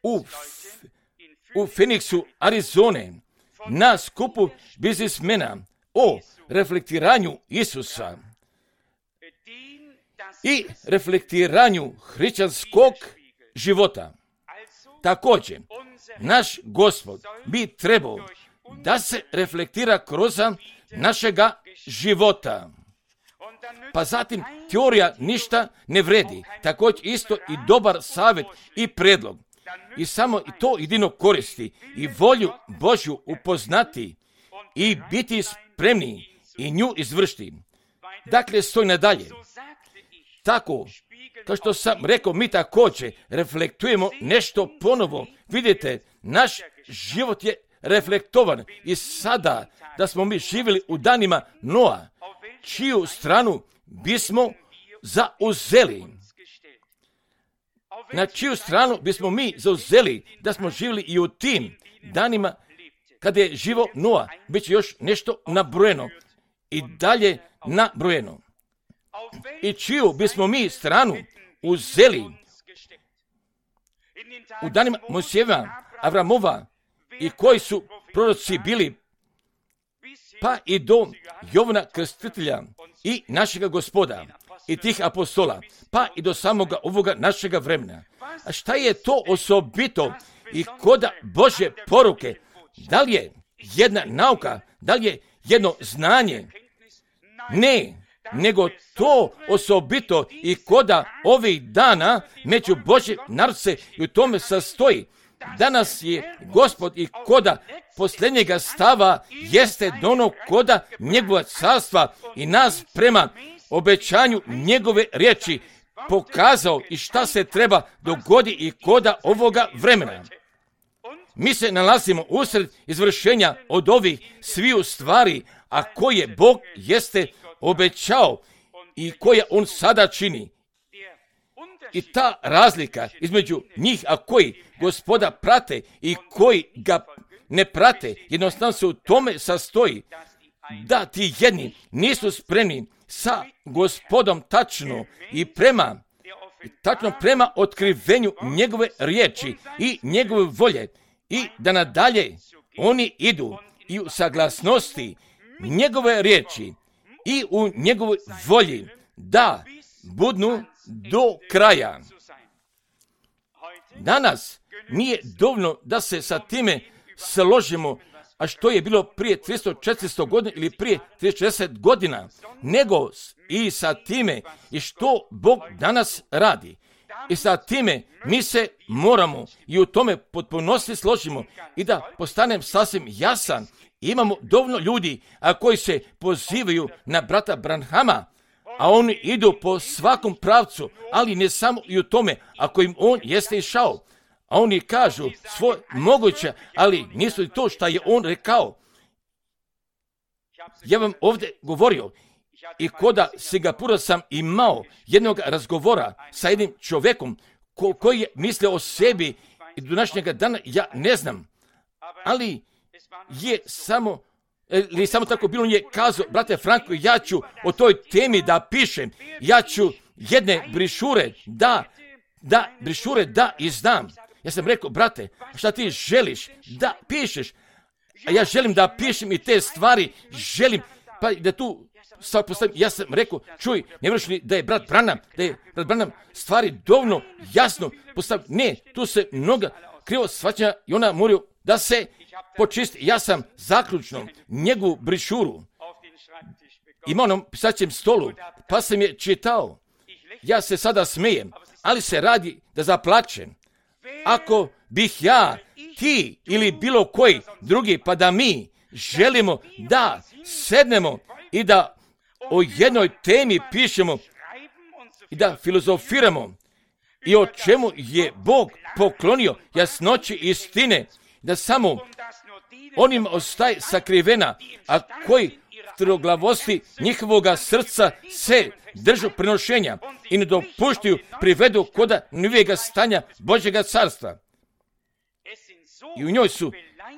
u, u Phoenixu, Arizone, na skupu biznismena o reflektiranju Isusa i reflektiranju hrišćanskog života. Također, naš Gospod bi trebao da se reflektira kroz našega života. Pa zatim, teorija ništa ne vredi. Također isto i dobar savjet i predlog. I samo to jedino koristi i volju Božju upoznati i biti spremni i nju izvršiti. Dakle, stoj nadalje. Tako, kao što sam rekao, mi također reflektujemo nešto ponovo. Vidite, naš život je reflektovan i sada da smo mi živjeli u danima Noa, čiju stranu bismo zauzeli. Na čiju stranu bismo mi zauzeli da smo živjeli i u tim danima kada je živo Noa, bit će još nešto nabrojeno i dalje nabrojeno. I čiju bismo mi stranu uzeli u danima Mojsijeva, Avramova i koji su proroci bili, pa i do Jovana Krstitelja i našega Gospoda i tih apostola, pa i do samoga ovoga našega vremena. A šta je to osobito i koda Božje poruke? Da li je jedna nauka, da li je jedno znanje? Ne, nego to osobito i koda ovih dana među Božje narod se i u tome sastoji. Danas je Gospod i koda posljednjega stava jeste dono koda njegova carstva i nas prema obećanju njegove riječi pokazao i šta se treba dogodi i koda ovoga vremena. Mi se nalazimo usred izvršenja od ovih sviju stvari, a koje Bog jeste obećao i koje on sada čini. I ta razlika između njih, a koji Gospoda prate i koji ga ne prate, jednostavno se u tome sastoji da ti jedni nisu spremni sa Gospodom tačno i prema tačno prema otkrivenju njegove riječi i njegove volje i da nadalje oni idu i u saglasnosti njegove riječi i u njegovoj volji da budnu do kraja. Danas nije dovoljno da se sa time složimo, a što je bilo prije tristo četiristo godina ili prije tristo četrdeset godina, nego i sa time i što Bog danas radi. I sa time mi se moramo i u tome potpunosti složimo i da postanem sasvim jasan. Imamo dovoljno ljudi a koji se pozivaju na brata Branhama, a oni idu po svakom pravcu, ali ne samo i u tome ako im on jeste išao. A oni kažu svoj moguće, ali nisu to što je on rekao. Ja vam ovdje govorio i koda Singapura sam imao jednog razgovora sa jednim čovjekom ko, koji je mislio o sebi i do današnjega dana, ja ne znam, ali je samo, ili samo tako bilo, on je kazao, brate Franko, ja ću o toj temi da pišem, ja ću jedne brišure da, da, brišure da izdam. Ja sam rekao, brate, šta ti želiš da pišeš? A ja želim da pišem i te stvari, želim, pa da tu sad postavim, ja sam rekao, čuj, ne vreš li da je brat Branham, da je brat Branham stvari dovoljno jasno postavio. Ne, tu se mnoga krivo shvaćanja i ona moraju da se počisti. Ja sam zaključno njegovu brišuru imao na pisaćem stolu, pa sam je čitao. Ja se sada smijem, ali se radi da zaplačem. Ako bih ja ti ili bilo koji drugi, pa da mi želimo da sednemo i da o jednoj temi pišemo i da filozofiramo i o čemu je Bog poklonio jasnoći istine, da samo onim ostaje sakrivena, a koji troglavosti njihovoga srca se držu prenošenja i ne dopuštaju privedu koda novijega stanja Božjega carstva. I u njoj su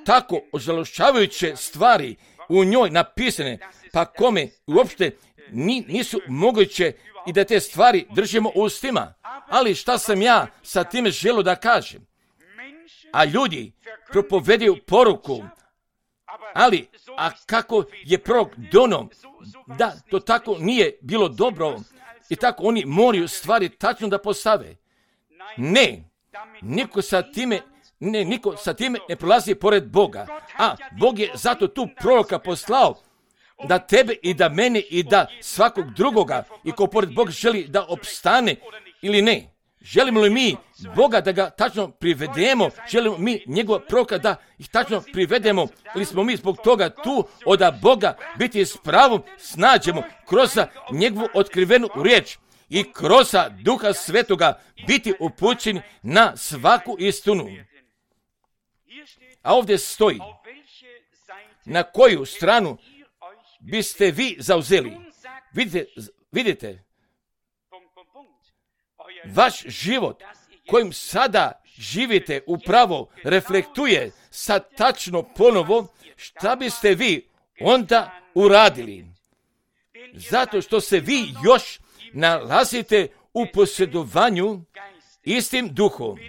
tako ožalošćavajuće stvari u njoj napisane, pa kome uopšte nisu moguće i da te stvari držimo u ustima. Ali šta sam ja sa time želio da kažem? A ljudi propovedaju poruku, ali a kako je prorok dono da to tako nije bilo dobro i tako oni moraju stvari tačno da postave. Ne, niko sa time ne, niko sa time ne prolazi pored Boga, a Bog je zato tu proroka poslao da tebe i da mene i da svakog drugoga i ko pored Boga želi da opstane ili ne. Želimo li mi Boga da ga tačno privedemo? Želimo mi njegova proroka da ih tačno privedemo? Ili smo mi zbog toga tu od Boga biti s pravom snađemo kroz njegovu otkrivenu riječ i kroz Duha Svetoga biti upućeni na svaku istinu? A ovdje stoji, na koju stranu biste vi zauzeli? Vidite, vidite, vaš život kojim sada živite upravo reflektuje sad tačno ponovo šta biste vi onda uradili. Zato što se vi još nalazite u posjedovanju istim duhom.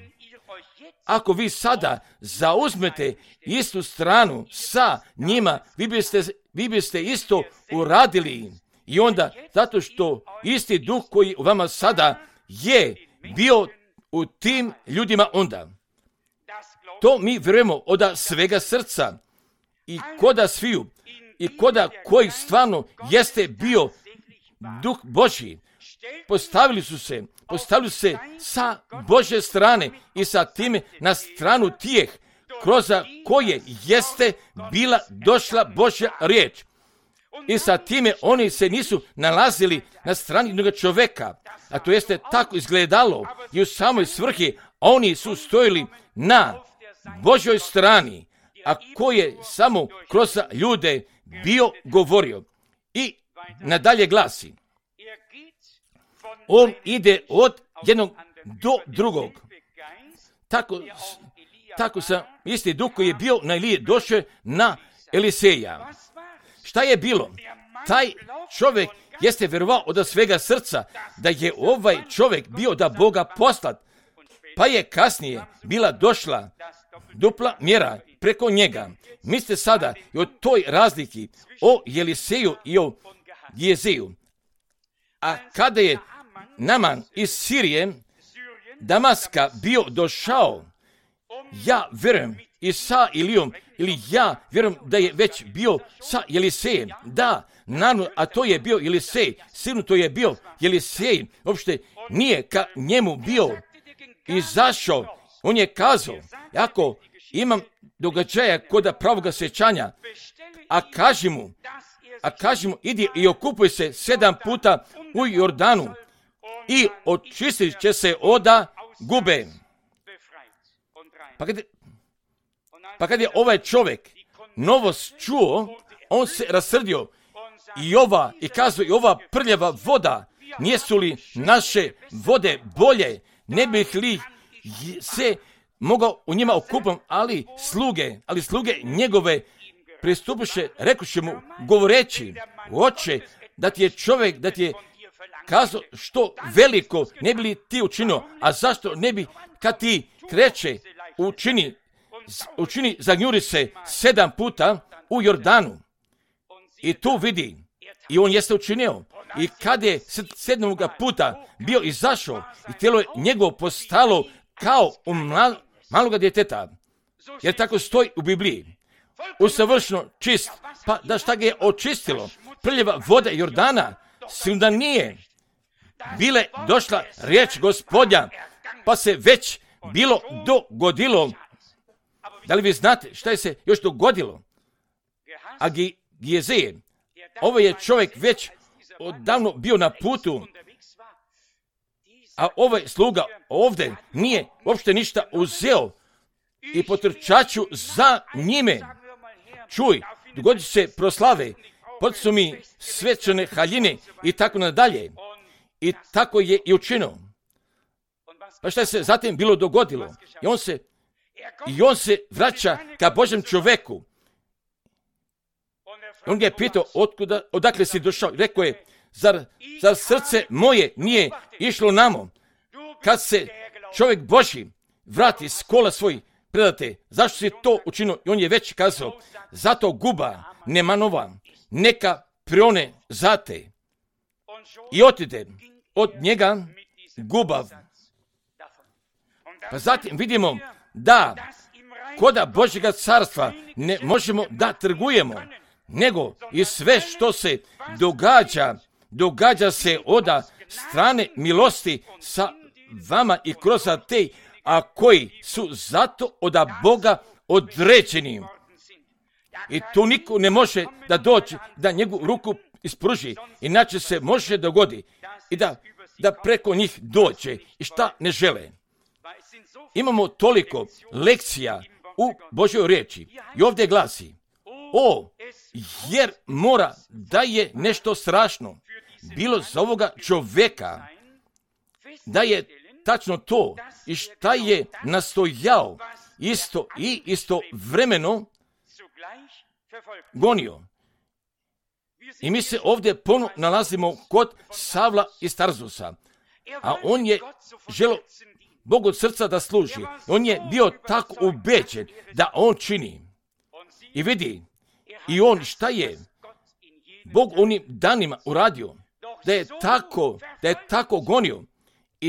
Ako vi sada zauzmete istu stranu sa njima, vi biste, vi biste isto uradili. I onda, zato što isti duh koji u vama sada je bio u tim ljudima onda. To mi vjerujemo od svega srca i koda sviju i koda koji stvarno jeste bio duh Božji. Postavili su se, postavili su se sa Božje strane i sa time na stranu tijeh kroz koje jeste bila došla Božja riječ. I sa time oni se nisu nalazili na strani jednog čovjeka, a to jeste tako izgledalo i u samoj svrhi oni su stojili na Božjoj strani, a koji je samo kroz ljude bio govorio. I nadalje glasi, on ide od jednog do drugog. Tako, tako sam isti duh koji je bio na Eliji došao na Eliseja. Šta je bilo? Taj čovjek jeste vjerovao od svega srca da je ovaj čovjek bio da Boga poslat, pa je kasnije bila došla dupla mjera preko njega. Mislite sada i o toj razliki o Eliseju i o Gehazeju. A kada je Naman iz Sirije, Damaska bio došao, ja vjerujem i sa Ilijom, ili ja vjerujem da je već bio sa Elisejem. Da, naravno, a to je bio Elisej, sigurno to je bio Elisej, uopšte nije ka njemu bio izašao. On je kazao, ako imam događaja kod pravoga sjećanja, a kaži mu, a kaži mu, idi i okupuj se sedam puta u Jordanu i očistit će se oda gube. Pa kad, pa kad je ovaj čovjek novost čuo, on se rasrdio i ova, i kazao, i ova prljava voda, nijesu li naše vode bolje, ne bih li se mogao u njima okupam, ali sluge, ali sluge njegove pristupiše, rekuše mu, govoreći, oče, da ti je čovjek, da ti je kazao što veliko ne bi li ti učinio, a zašto ne bi kad ti kreće učini, učini zagnjuri se sedam puta u Jordanu i tu vidi i on jeste učinio i kad je sedmog puta bio izašao i tijelo je njegovo postalo kao u mal, maloga djeteta, jer tako stoji u Bibliji, usavršeno čist, pa da šta ga je očistilo, prljava voda Jordana, sigurno da nije, bile došla riječ Gospodnja, pa se već bilo dogodilo, Da li vi znate šta je se još dogodilo? A Gijezije, ovo je čovjek već odavno bio na putu, a ovaj sluga ovdje nije uopšte ništa uzeo i potrčaću za njime. Čuj, dogodit se proslave, poticu mi svečane haljine i tako nadalje. I tako je i učinio. Pa šta je se zatim bilo dogodilo? I on se, i on se vraća ka Božjem čovjeku. On ga je pitao, otkuda, odakle si došao? Rekao je, zar, zar srce moje nije išlo namo? Kad se čovjek Božji vrati s kola svoj, predate, zašto si to učinio? I on je već kazao, zato guba Nemanova neka prione zate. I otide od njega gubav. Pa zatim vidimo da koda Božjega carstva ne možemo da trgujemo, nego i sve što se događa, događa se od strane milosti sa vama i kroz te, a koji su zato od Boga određeni. I tu niko ne može da dođe, da njegovu ruku ispruži, inače se može dogodi i da, da preko njih dođe i šta ne žele. Imamo toliko lekcija u Božjoj riječi i ovdje glasi, o, jer mora da je nešto strašno bilo za ovoga čovjeka, da je tačno to i šta je nastojao isto i istovremeno gonio. I mi se ovdje ponovno nalazimo kod Savla iz Tarzusa, a on je želio Bogu od srca da služi. On je bio tako ubeđen da on čini. I vidi, i on šta je Bog onim danima uradio, da je tako, da je tako gonio i,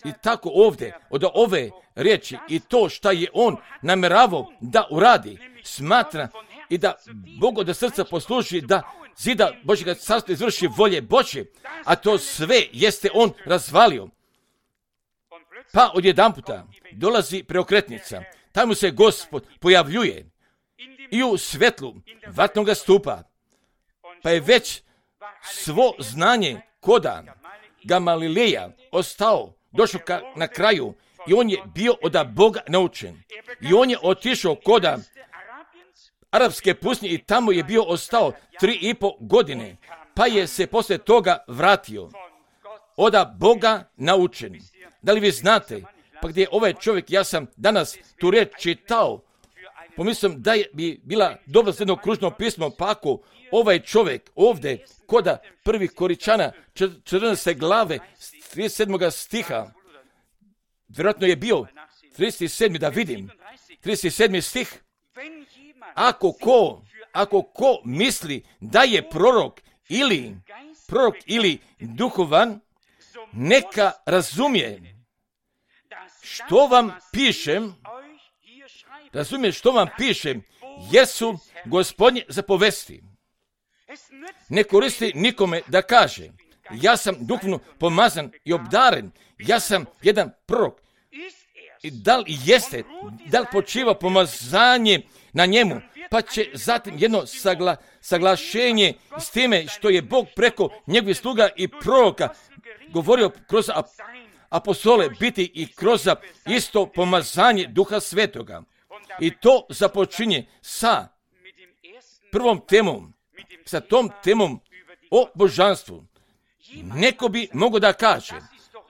i tako ovdje od ove riječi i to šta je on namjeravao da uradi, smatra i da Bogu od srca posluži da zida Božjega carstva izvrši volje Božje, a to sve jeste on razvalio. Pa odjedanputa dolazi preokretnica, tamo se Gospod pojavljuje i u svetlu vatnoga stupa, pa je već svo znanje koda Gamalileja ostao, došao ka, na kraju i on je bio od Boga naučen. I on je otišao koda arapske pustinje i tamo je bio ostao tri i po godine, pa je se poslije toga vratio od Boga naučen. Da li vi znate, pa gdje je ovaj čovjek, ja sam danas tu riječ čitao, pomislim da je bi bila dobra za jedno kružno pismo, pa ako ovaj čovjek ovdje, koda prvi Koričana, četrnaeste glave, trideset sedmog stiha, vjerojatno je bio trideset sedmi da vidim, trideset sedmi stih, ako ko, ako ko misli da je prorok ili prorok ili duhovan, neka razumije što vam pišem, razumije što vam pišem, jesu Gospodnje zapovesti. Ne koristi nikome da kaže, ja sam duhovno pomazan i obdaren, ja sam jedan prorok. I da li jeste, da li počiva pomazanje na njemu, pa će zatim jedno sagla, saglašenje s time što je Bog preko njegovih sluga i proroka govorio kroz apostole biti i kroz isto pomazanje Duha Svetoga. I to započinje sa prvom temom, sa tom temom o božanstvu. Neko bi mogao da kaže,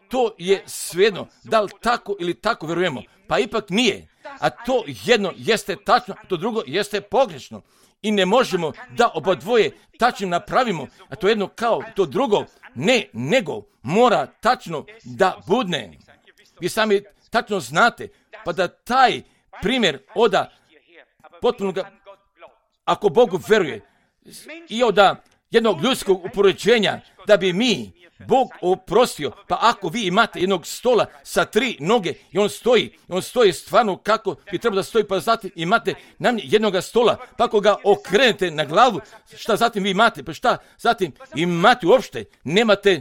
to je svejedno, da li tako ili tako vjerujemo, pa ipak nije. A to jedno jeste tačno, to drugo jeste pogrešno. I ne možemo da oba dvoje tačno napravimo, a to jedno kao to drugo, ne, nego mora tačno da budne. Vi sami tačno znate, pa da taj primjer oda potpuno, ako Bogu veruje, i od jednog ljudskog upoređenja, da bi mi Bog oprostio, pa ako vi imate jednog stola sa tri noge i on stoji, on stoji stvarno kako bi trebalo da stoji, pa zatim imate nam jednoga stola, pa ako ga okrenete na glavu, šta zatim vi imate, pa šta zatim imate uopšte, nemate,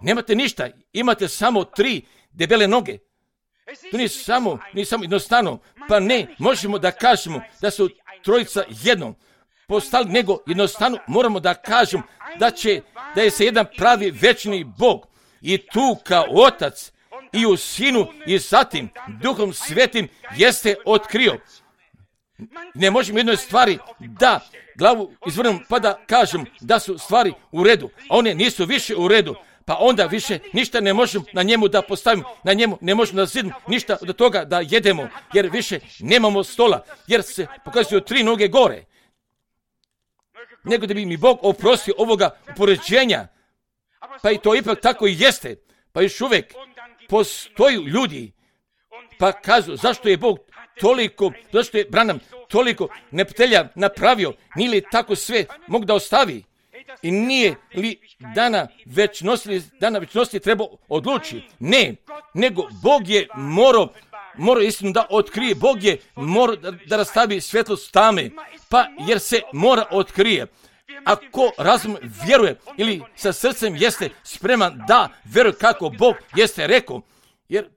nemate ništa, imate samo tri debele noge. To nije samo, nije samo jednostavno, pa ne, možemo da kažemo da su trojica jedno postali, nego jednostavno moramo da kažemo da će, da je se jedan pravi večni Bog i tu kao Otac i u Sinu i zatim Duhom Svetim jeste otkrio. Ne možemo jednoj stvari da glavu izvrnemo pa da kažem da su stvari u redu, a one nisu više u redu, pa onda više ništa ne možemo na njemu da postavimo, na njemu ne možemo da zidimo ništa od toga da jedemo, jer više nemamo stola, jer se pokazuju tri noge gore. Nego da bi mi Bog oprostio ovoga upoređenja, pa i to ipak tako i jeste, pa još uvijek postoju ljudi, pa kažu zašto je Bog toliko, zašto je Branham toliko neprijatelja napravio, nije li tako sve mogu da ostavi i nije li dana večnosti, dana večnosti treba odluči. Ne, nego Bog je morao, morao istinu da otkrije, Bog je morao da, da rastavi svjetlost tame, pa jer se mora otkrije. Ako razum vjeruje ili sa srcem jeste spreman da vjeruje kako Bog jeste rekao, jer,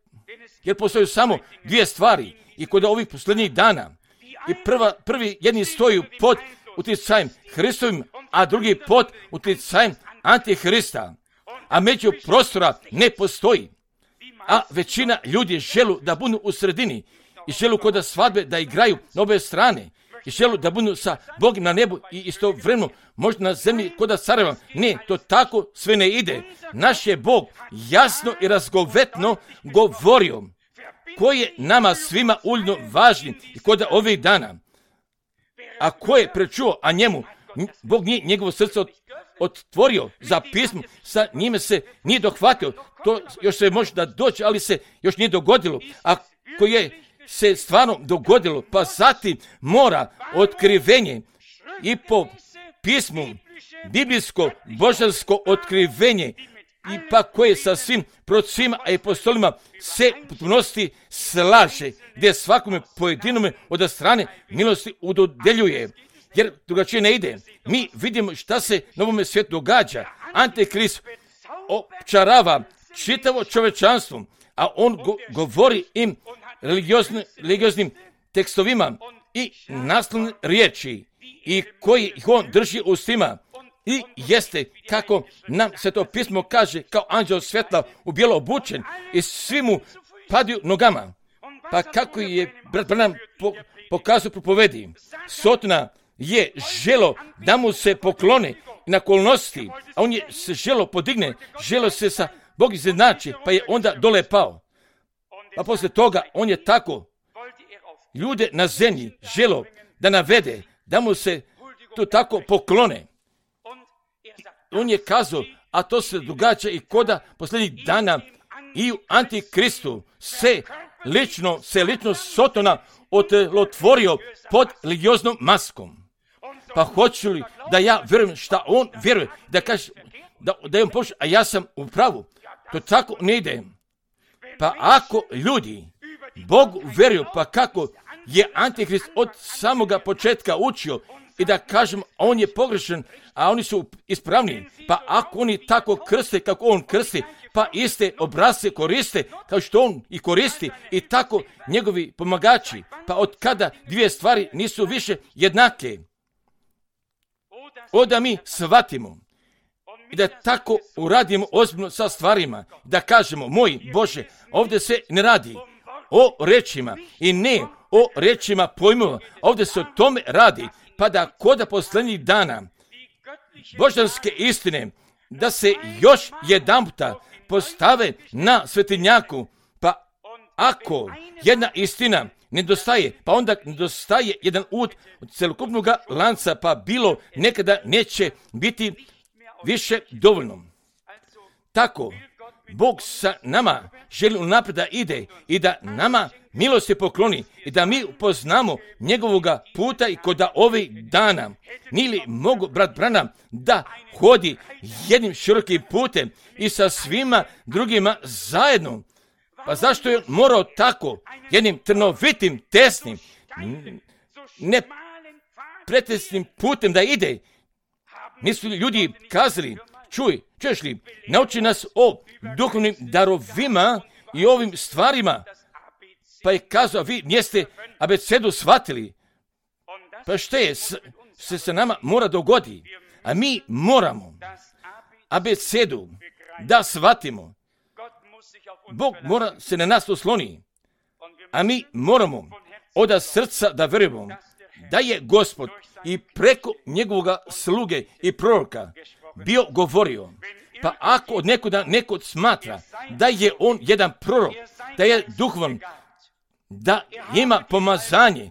jer postoje samo dvije stvari i kod ovih posljednjih dana. I prva, prvi jedni stoju pod utjecajem Hristovim, a drugi pod utjecajem Antihrista. A među prostora ne postoji. A većina ljudi želu da budu u sredini i želu kod svadbe da igraju na obe strane i želu da budu sa Bogom na nebu i istovremeno možda na zemlji kod careva. Ne, to tako sve ne ide. Naš je Bog jasno i razgovetno govorio koji je nama svima uljno važni i kod ovih dana. A ko je prečuo, a njemu Bog nije njegovo srce otvorio za pismo, sa njime se nije dohvatio. To još se može da doći, ali se još nije dogodilo. A ko je se stvarno dogodilo, pa zatim mora otkrivenje i po pismu, biblijsko, božansko otkrivenje, i pa koje sa svim procima i apostolima se u potpunosti slaže, gdje svakome pojedinome od strane milosti udodeljuje. Jer drugačije ne ide. Mi vidimo šta se na ovome svijetu događa. Antikrist opčarava čitavo čovečanstvo, a on go, govori im religioznim, religioznim tekstovima i naslovne riječi i koji ih on drži u ustima. I jeste kako nam se to pismo kaže kao anđeo svjetla u bijelo obučen i svi mu padaju nogama. Pa kako je brat Branham po, pokazao propovedi, Sotona je želo da mu se poklone na kolnosti, a on je se želo podigne, želo se sa Bog izjednači, pa je onda dole pao. Pa poslije toga on je tako ljude na zemlji želo da navede, da mu se to tako poklone. On je kazao, a to se događa i koda posljednjih dana i u Antikristu se lično, se lično Sotona otelotvorio pod religioznom maskom. Pa hoću li da ja vjerujem šta on vjeruje, da kaže, da, da je on pošao, a ja sam u pravu. To tako ne ide. Pa ako ljudi Bogu vjeruju, pa kako je Antikrist od samoga početka učio i da kažem, on je pogrešan, a oni su ispravni, pa ako oni tako krste kako on krsti, pa iste obrazce koriste kao što on i koristi i tako njegovi pomagači, pa od kada dvije stvari nisu više jednake, onda mi shvatimo i da tako uradimo ozbiljno sa stvarima, da kažemo, moj Bože, ovdje se ne radi o rečima i ne o rečima pojmova, ovdje se o tome radi, pa da koda posljednjih dana božanske istine, da se još jedanputa postave na svetinjaku, pa ako jedna istina nedostaje, pa onda nedostaje jedan ud od celokupnog lanca, pa bilo nekada neće biti više dovoljno. Tako, Bog sa nama želi unaprijed da ide i da nama milosti pokloni i da mi upoznamo njegovoga puta i kod ovih dana. Nije li mogu brat Branham da hodi jednim širokim putem i sa svima drugima zajedno? Pa zašto je morao tako jednim trnovitim, tesnim, nepretesnim putem da ide? Nisu li ljudi kazali, čuj, čuješ li, nauči nas o duhovnim darovima i ovim stvarima, Pa je kazao, vi niste abecedu shvatili. Pa što je, se se nama mora dogodi. A mi moramo abecedu da shvatimo. Bog mora se na nas osloni. A mi moramo od srca da vjerujemo da je Gospod i preko njegovoga sluge i proroka bio govorio. Pa ako od nekoga neko smatra da je on jedan prorok, da je duhovan, da ima pomazanje,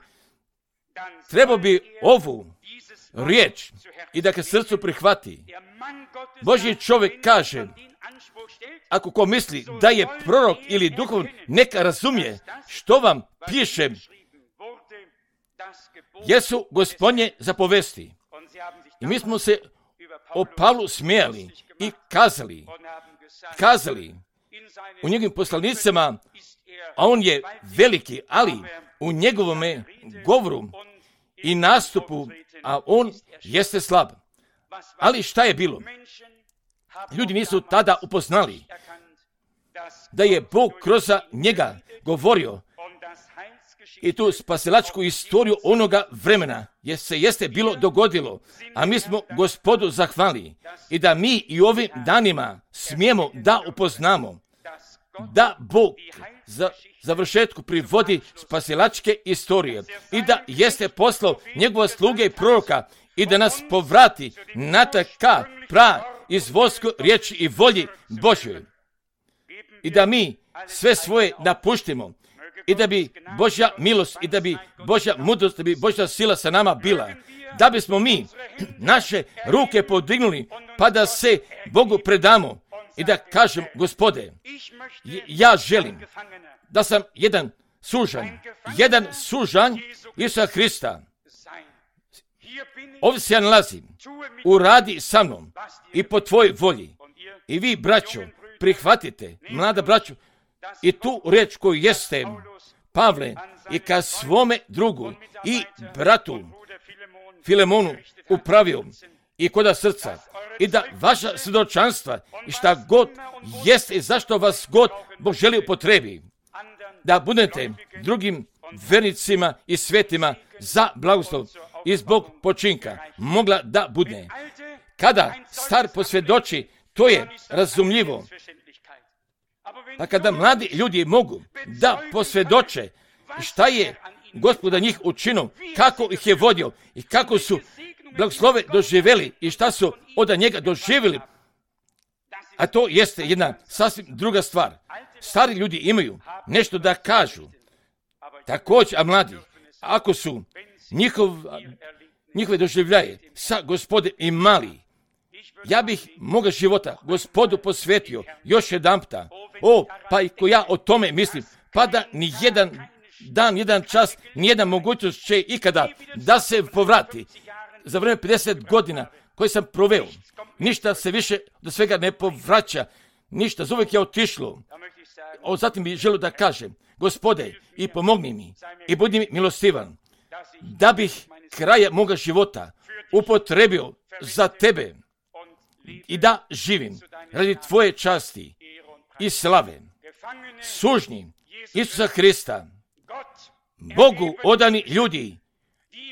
treba bi ovu riječ i da ga srcu prihvati. Božji čovjek kaže, ako ko misli da je prorok ili duhovan, neka razumije što vam piše, jesu Gospodnje zapovesti. I mi smo se o Pavlu smijali i kazali, kazali u njegovim poslanicama, a on je veliki, ali u njegovome govoru i nastupu, a on jeste slab. Ali šta je bilo? Ljudi nisu tada upoznali da je Bog kroz njega govorio i tu spasilačku istoriju onoga vremena, jer se jeste bilo dogodilo, a mi smo Gospodu zahvali i da mi i ovim danima smijemo da upoznamo da Bog za završetku privodi spasilačke istorije i da jeste poslao njegova sluge i proroka i da nas povrati na taka pra izvoljsko riječi i volji Božjoj. I da mi sve svoje napuštimo i da bi Božja milost i da bi Božja mudrost, da bi Božja sila sa nama bila. Da bismo mi naše ruke podignuli pa da se Bogu predamo i da kažem, Gospode, ja želim da sam jedan sužanj, jedan sužanj Isusa Hrista. Ovdje se ja nalazim, uradi sa mnom i po tvojoj volji. I vi, braćo, prihvatite, mlada braćo, i tu riječ koju jeste Pavle i ka svome drugu i bratu Filemonu upravio i koda srca i da vaša svjedočanstva i šta god jeste i zašto vas god Bog želi upotrebi, da budete drugim vernicima i svetima za blagoslov i zbog počinka mogla da bude. Kada star posvjedoči, to je razumljivo. Pa kada mladi ljudi mogu da posvjedoče šta je Gospod za njih učinio, kako ih je vodio i kako su blagoslove doživjeli i šta su od njega doživjeli, a to jeste jedna sasvim druga stvar. Stari ljudi imaju nešto da kažu, također, a mladi, ako su njihov, njihove doživljaje sa Gospodem imali, ja bih moga života Gospodu posvetio još jedan puta. O, pa i ko ja o tome mislim, pa da ni jedan dan, jedan čas, nijedna mogućnost će ikada da se povrati. Za vrijeme pedeset godina koje sam proveo, ništa se više do svega ne povraća, ništa, zuvijek je otišlo. O, zatim bih želio da kažem, Gospode, i pomogni mi, i budi mi milostivan, da bih kraja moga života upotrebio za tebe i da živim radi tvoje časti i slave. Sužnji Isusa Hrista, Bogu odani ljudi,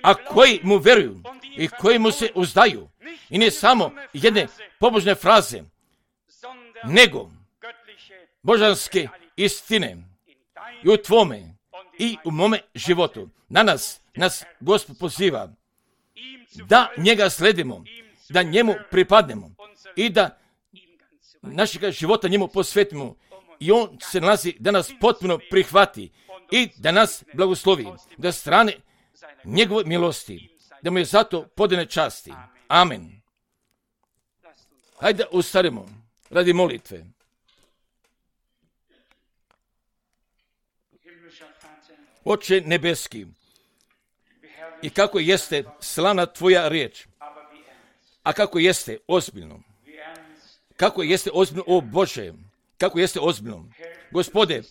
a koji mu veruju i koji mu se uzdaju. I ne samo jedne pobožne fraze, nego božanske istine i u tvome i u mome životu. Danas nas Gospod poziva da njega sledimo, da njemu pripadnemo i da našega života njemu posvetimo. I on se nalazi da nas potpuno prihvati i da nas blagoslovi, da strane njegove milosti, da mu je zato podane časti. Amen. Hajde ustanimo radi molitve. Oče nebeski, i kako jeste slavna tvoja riječ, a kako jeste ozbiljno, kako jeste ozbiljno, o Bože, kako jeste ozbiljno. Gospode,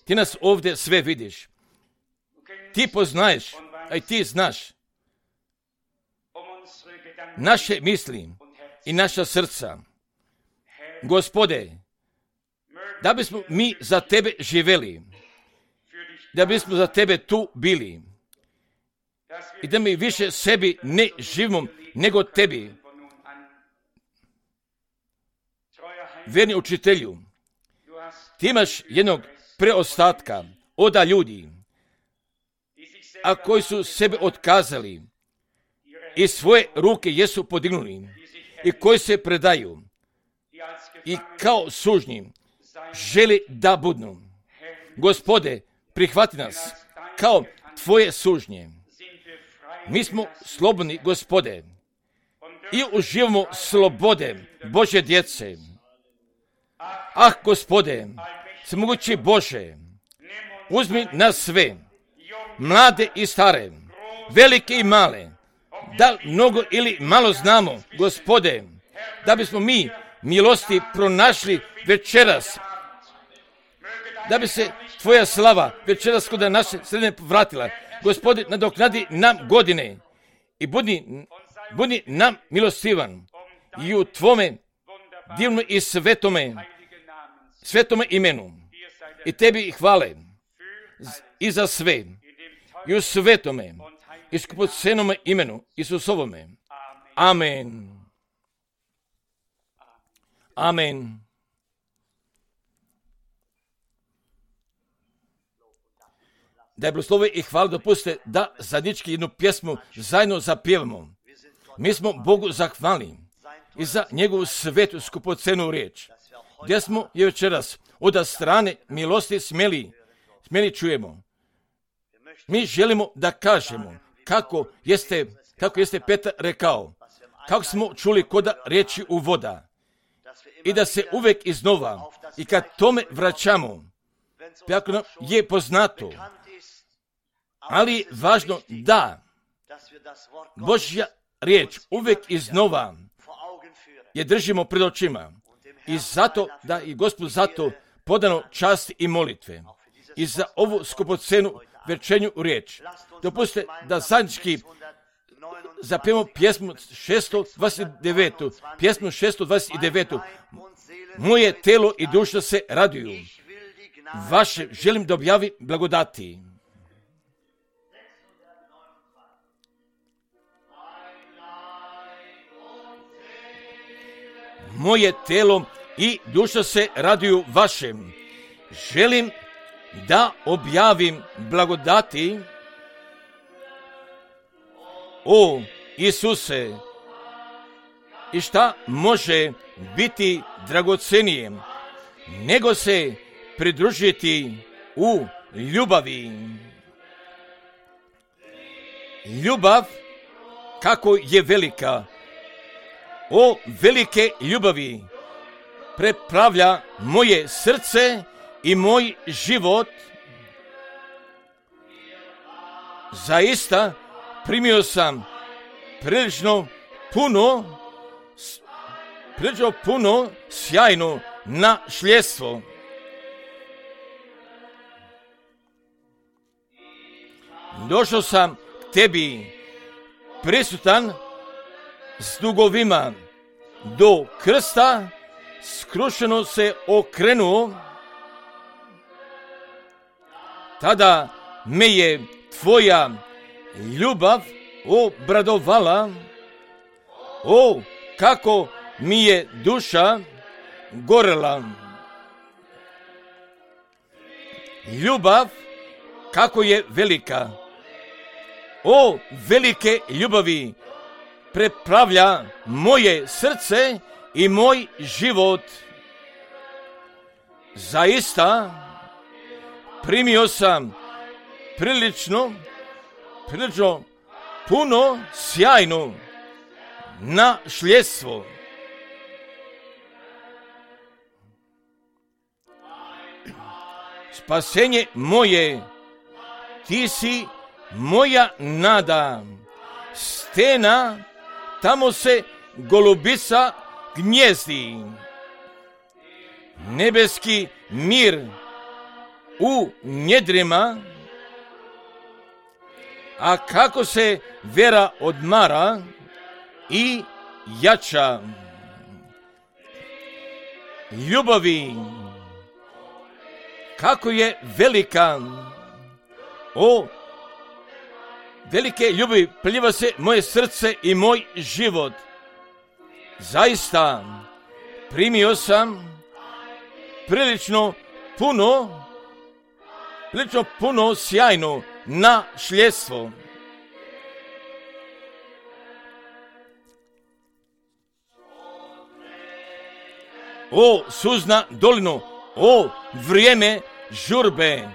ti nas ovdje sve vidiš, ti poznaješ, a i ti znaš naše misli i naša srca. Gospode, da bismo mi za tebe živjeli da bismo za tebe tu bili i da mi više sebi ne živimo nego tebi. Vjerni učitelju, ti imaš jednog preostatka oda ljudi, a koji su sebe otkazali i svoje ruke jesu podignuli i koji se predaju i kao sužnji želi da budnu. Gospode, prihvati nas kao tvoje sužnje. Mi smo slobodni, Gospode, i uživamo slobode Božje djece. Ah, Gospode, svemogući Bože, uzmi nas sve, mlade i stare, velike i male, da mnogo ili malo znamo, Gospode, da bismo mi milosti pronašli večeras, da bi se tvoja slava večeras kod naše sredine vratila. Gospode, nadoknadi nam godine i budi, budi nam milostivan i u tvome divnom i svetome, svetome imenu. I tebi hvale i za sve i u svetome i skupocenome imenu Isusovome. Amen. Amen. Da je blagoslove i hvala dopuste da zajednički jednu pjesmu zajedno zapjevamo. Mi smo Bogu zahvalni i za njegovu svetu skupocenu riječ, gdje smo je večeras od strane milosti smjeli, smjeli čujemo. Mi želimo da kažemo kako jeste, kako jeste Petar rekao, kako smo čuli koda riječi u voda i da se uvijek iznova i kad tome vraćamo, kako nam je poznato, ali je važno da Božja riječ uvijek iznova je držimo pred očima i zato da i Gospod zato podano časti i molitve i za ovu skupocenu večernju riječ. Dopustite da zajednički zapijemo pjesmu šesto dvadeset devet. Pjesmu šesto dvadeset devet. Moje telo i duša se raduju. Vaše želim da objavim blagodati. Moje telo i duša se raduju vašem. Želim da objavim blagodati. O Isuse, i šta može biti dragocenije nego se pridružiti u ljubavi. Ljubav kako je velika. O velike ljubavi prepravlja moje srce i moj život. Zaista primio sam prilično puno, prilično puno sjajno našljedstvo. Došao sam k tebi prisutan s dugovima do krsta, skrušeno se okrenuo. Tada me je tvoja ljubav obradovala. O, kako mi je duša gorela. Ljubav kako je velika. O, velike ljubavi prepravlja moje srce i moj život. Zaista primio sam prilično, prilično puno sjajno našljedstvo. Spasenje moje, ti si moja nada. Stena, tamo se golubica gnjezdi. Nebeski mir u njedrima, a kako se vera odmara i jača. Ljubavi, kako je velika. O, velike ljubavi preliva se moje srce i moj život. Zaista, primio sam prilično puno, prilično puno sjajno nasljedstvo. O, suzna dolino, o, vrijeme žurbe.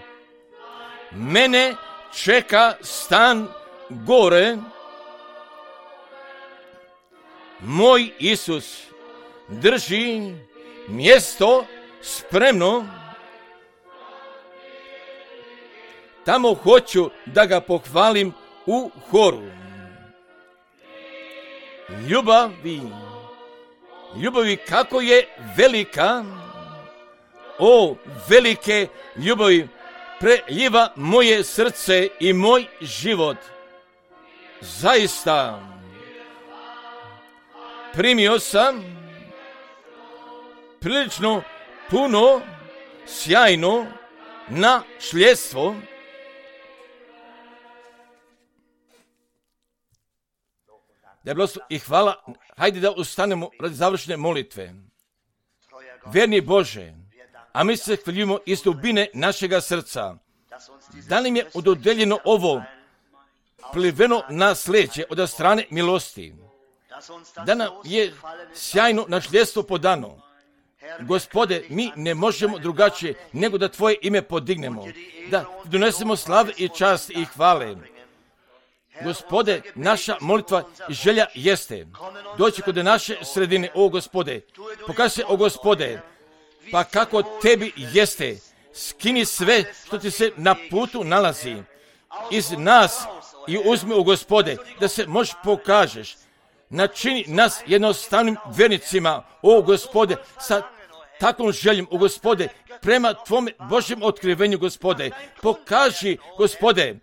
Mene čeka stan gore. Moj Isus drži mjesto spremno. Tamo hoću da ga pohvalim u horu. Ljubavi, ljubavi kako je velika, o velike ljubavi preljiva moje srce i moj život. Zaista, primio sam prilično puno sjajno nasljedstvo. Da je blagoslov i hvala. Hajde da ustanemo radi završne molitve. Verni Bože, a mi se hvaljujemo iz dubine našega srca, da nam je ododeljeno ovo pliveno nasljeđe od strane milosti, da nam je sjajno nasljedstvo podano. Gospode, mi ne možemo drugačije nego da Tvoje ime podignemo, da donesemo slave i čast i hvale. Gospode, naša molitva i želja jeste doći kod naše sredine, o Gospode, pokaži se, o Gospode, pa kako Tebi jeste, skini sve što Ti se na putu nalazi iz nas i uzmi, o Gospode, da se možeš pokažeš. Načini nas jednostavnim vjernicima, o Gospode, sa takvom željom, o Gospode, prema Tvome Božjem otkrivenju, Gospode. Pokaži, Gospode,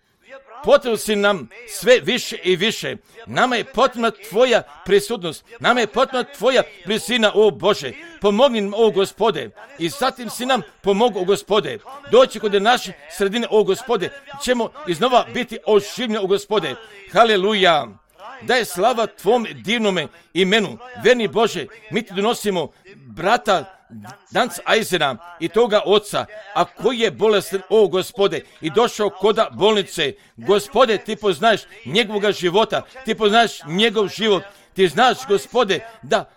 potrebno si nam sve više i više. Nama je potrebna Tvoja prisutnost. Nama je potrebna Tvoja blizina, o Bože. Pomogni nam, o Gospode. I zatim si nam pomogu, o Gospode. Doći kod naše sredine, o Gospode. Ćemo iznova biti oživljeni, o Gospode. Haleluja. Da je slava Tvom divnome imenu. Verni Bože, mi Ti donosimo brata Danca Eisena i toga oca, a koji je bolestan, o Gospode, i došao koda bolnice. Gospode, Ti poznaješ njegovog života, Ti poznaješ njegov život, Ti znaš, Gospode, da,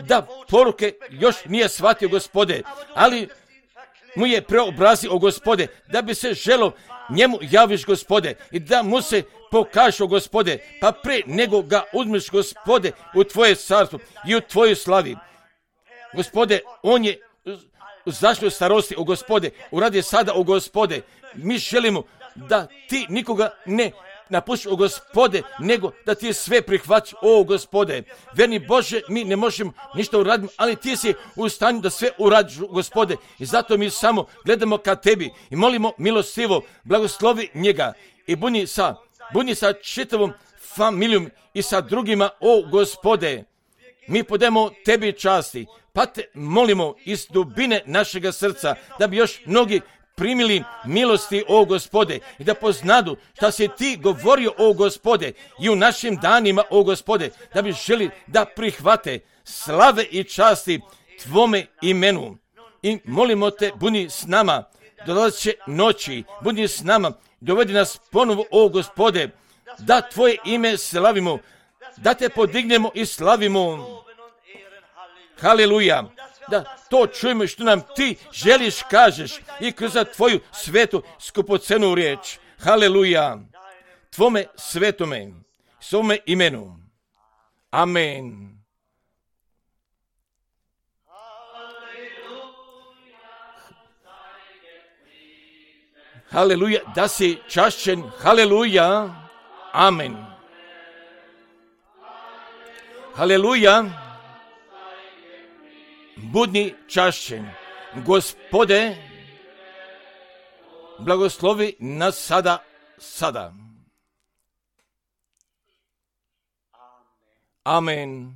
da poruke još nije shvatio, Gospode, ali mu je preobrazio, o Gospode, da bi se želo njemu javiš, Gospode, i da mu se pokažeš, o Gospode, pa pre nego ga uzmeš, Gospode, u Tvoje carstvo i u Tvoju slavi. Gospode, on je zašao starosti, o Gospode, uradi sada, o Gospode. Mi želimo da Ti nikoga ne napustiš, o Gospode, nego da Ti sve prihvaćaš, o Gospode. Verni Bože, mi ne možemo ništa uraditi, ali Ti si u stanju da sve uradiš, Gospode. I zato mi samo gledamo ka Tebi i molimo milostivo, blagoslovi njega i buni sa, buni sa čitavom familijom i sa drugima, o Gospode. Mi podajemo Tebi časti, pa Te molimo iz dubine našega srca da bi još mnogi primili milosti, o Gospode, i da poznadu šta si Ti govorio, o Gospode, i u našim danima, o Gospode, da bi želi da prihvate slave i časti Tvome imenu. I molimo Te, budi s nama, dolazeće noći, budi s nama, dovedi nas ponovo, o Gospode, da Tvoje ime slavimo, da Te podignemo i slavimo. Haleluja. Da to čujemo što nam Ti želiš kažeš i kroz Tvoju svetu skupocenu riječ. Haleluja. Tvome svetome, svome imenu. Amen. Haleluja. Da si čašćen. Haleluja. Amen. Haleluja. Budi čašćen. Gospode, blagoslovi nas sada, sada. Amen.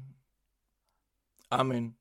Amen.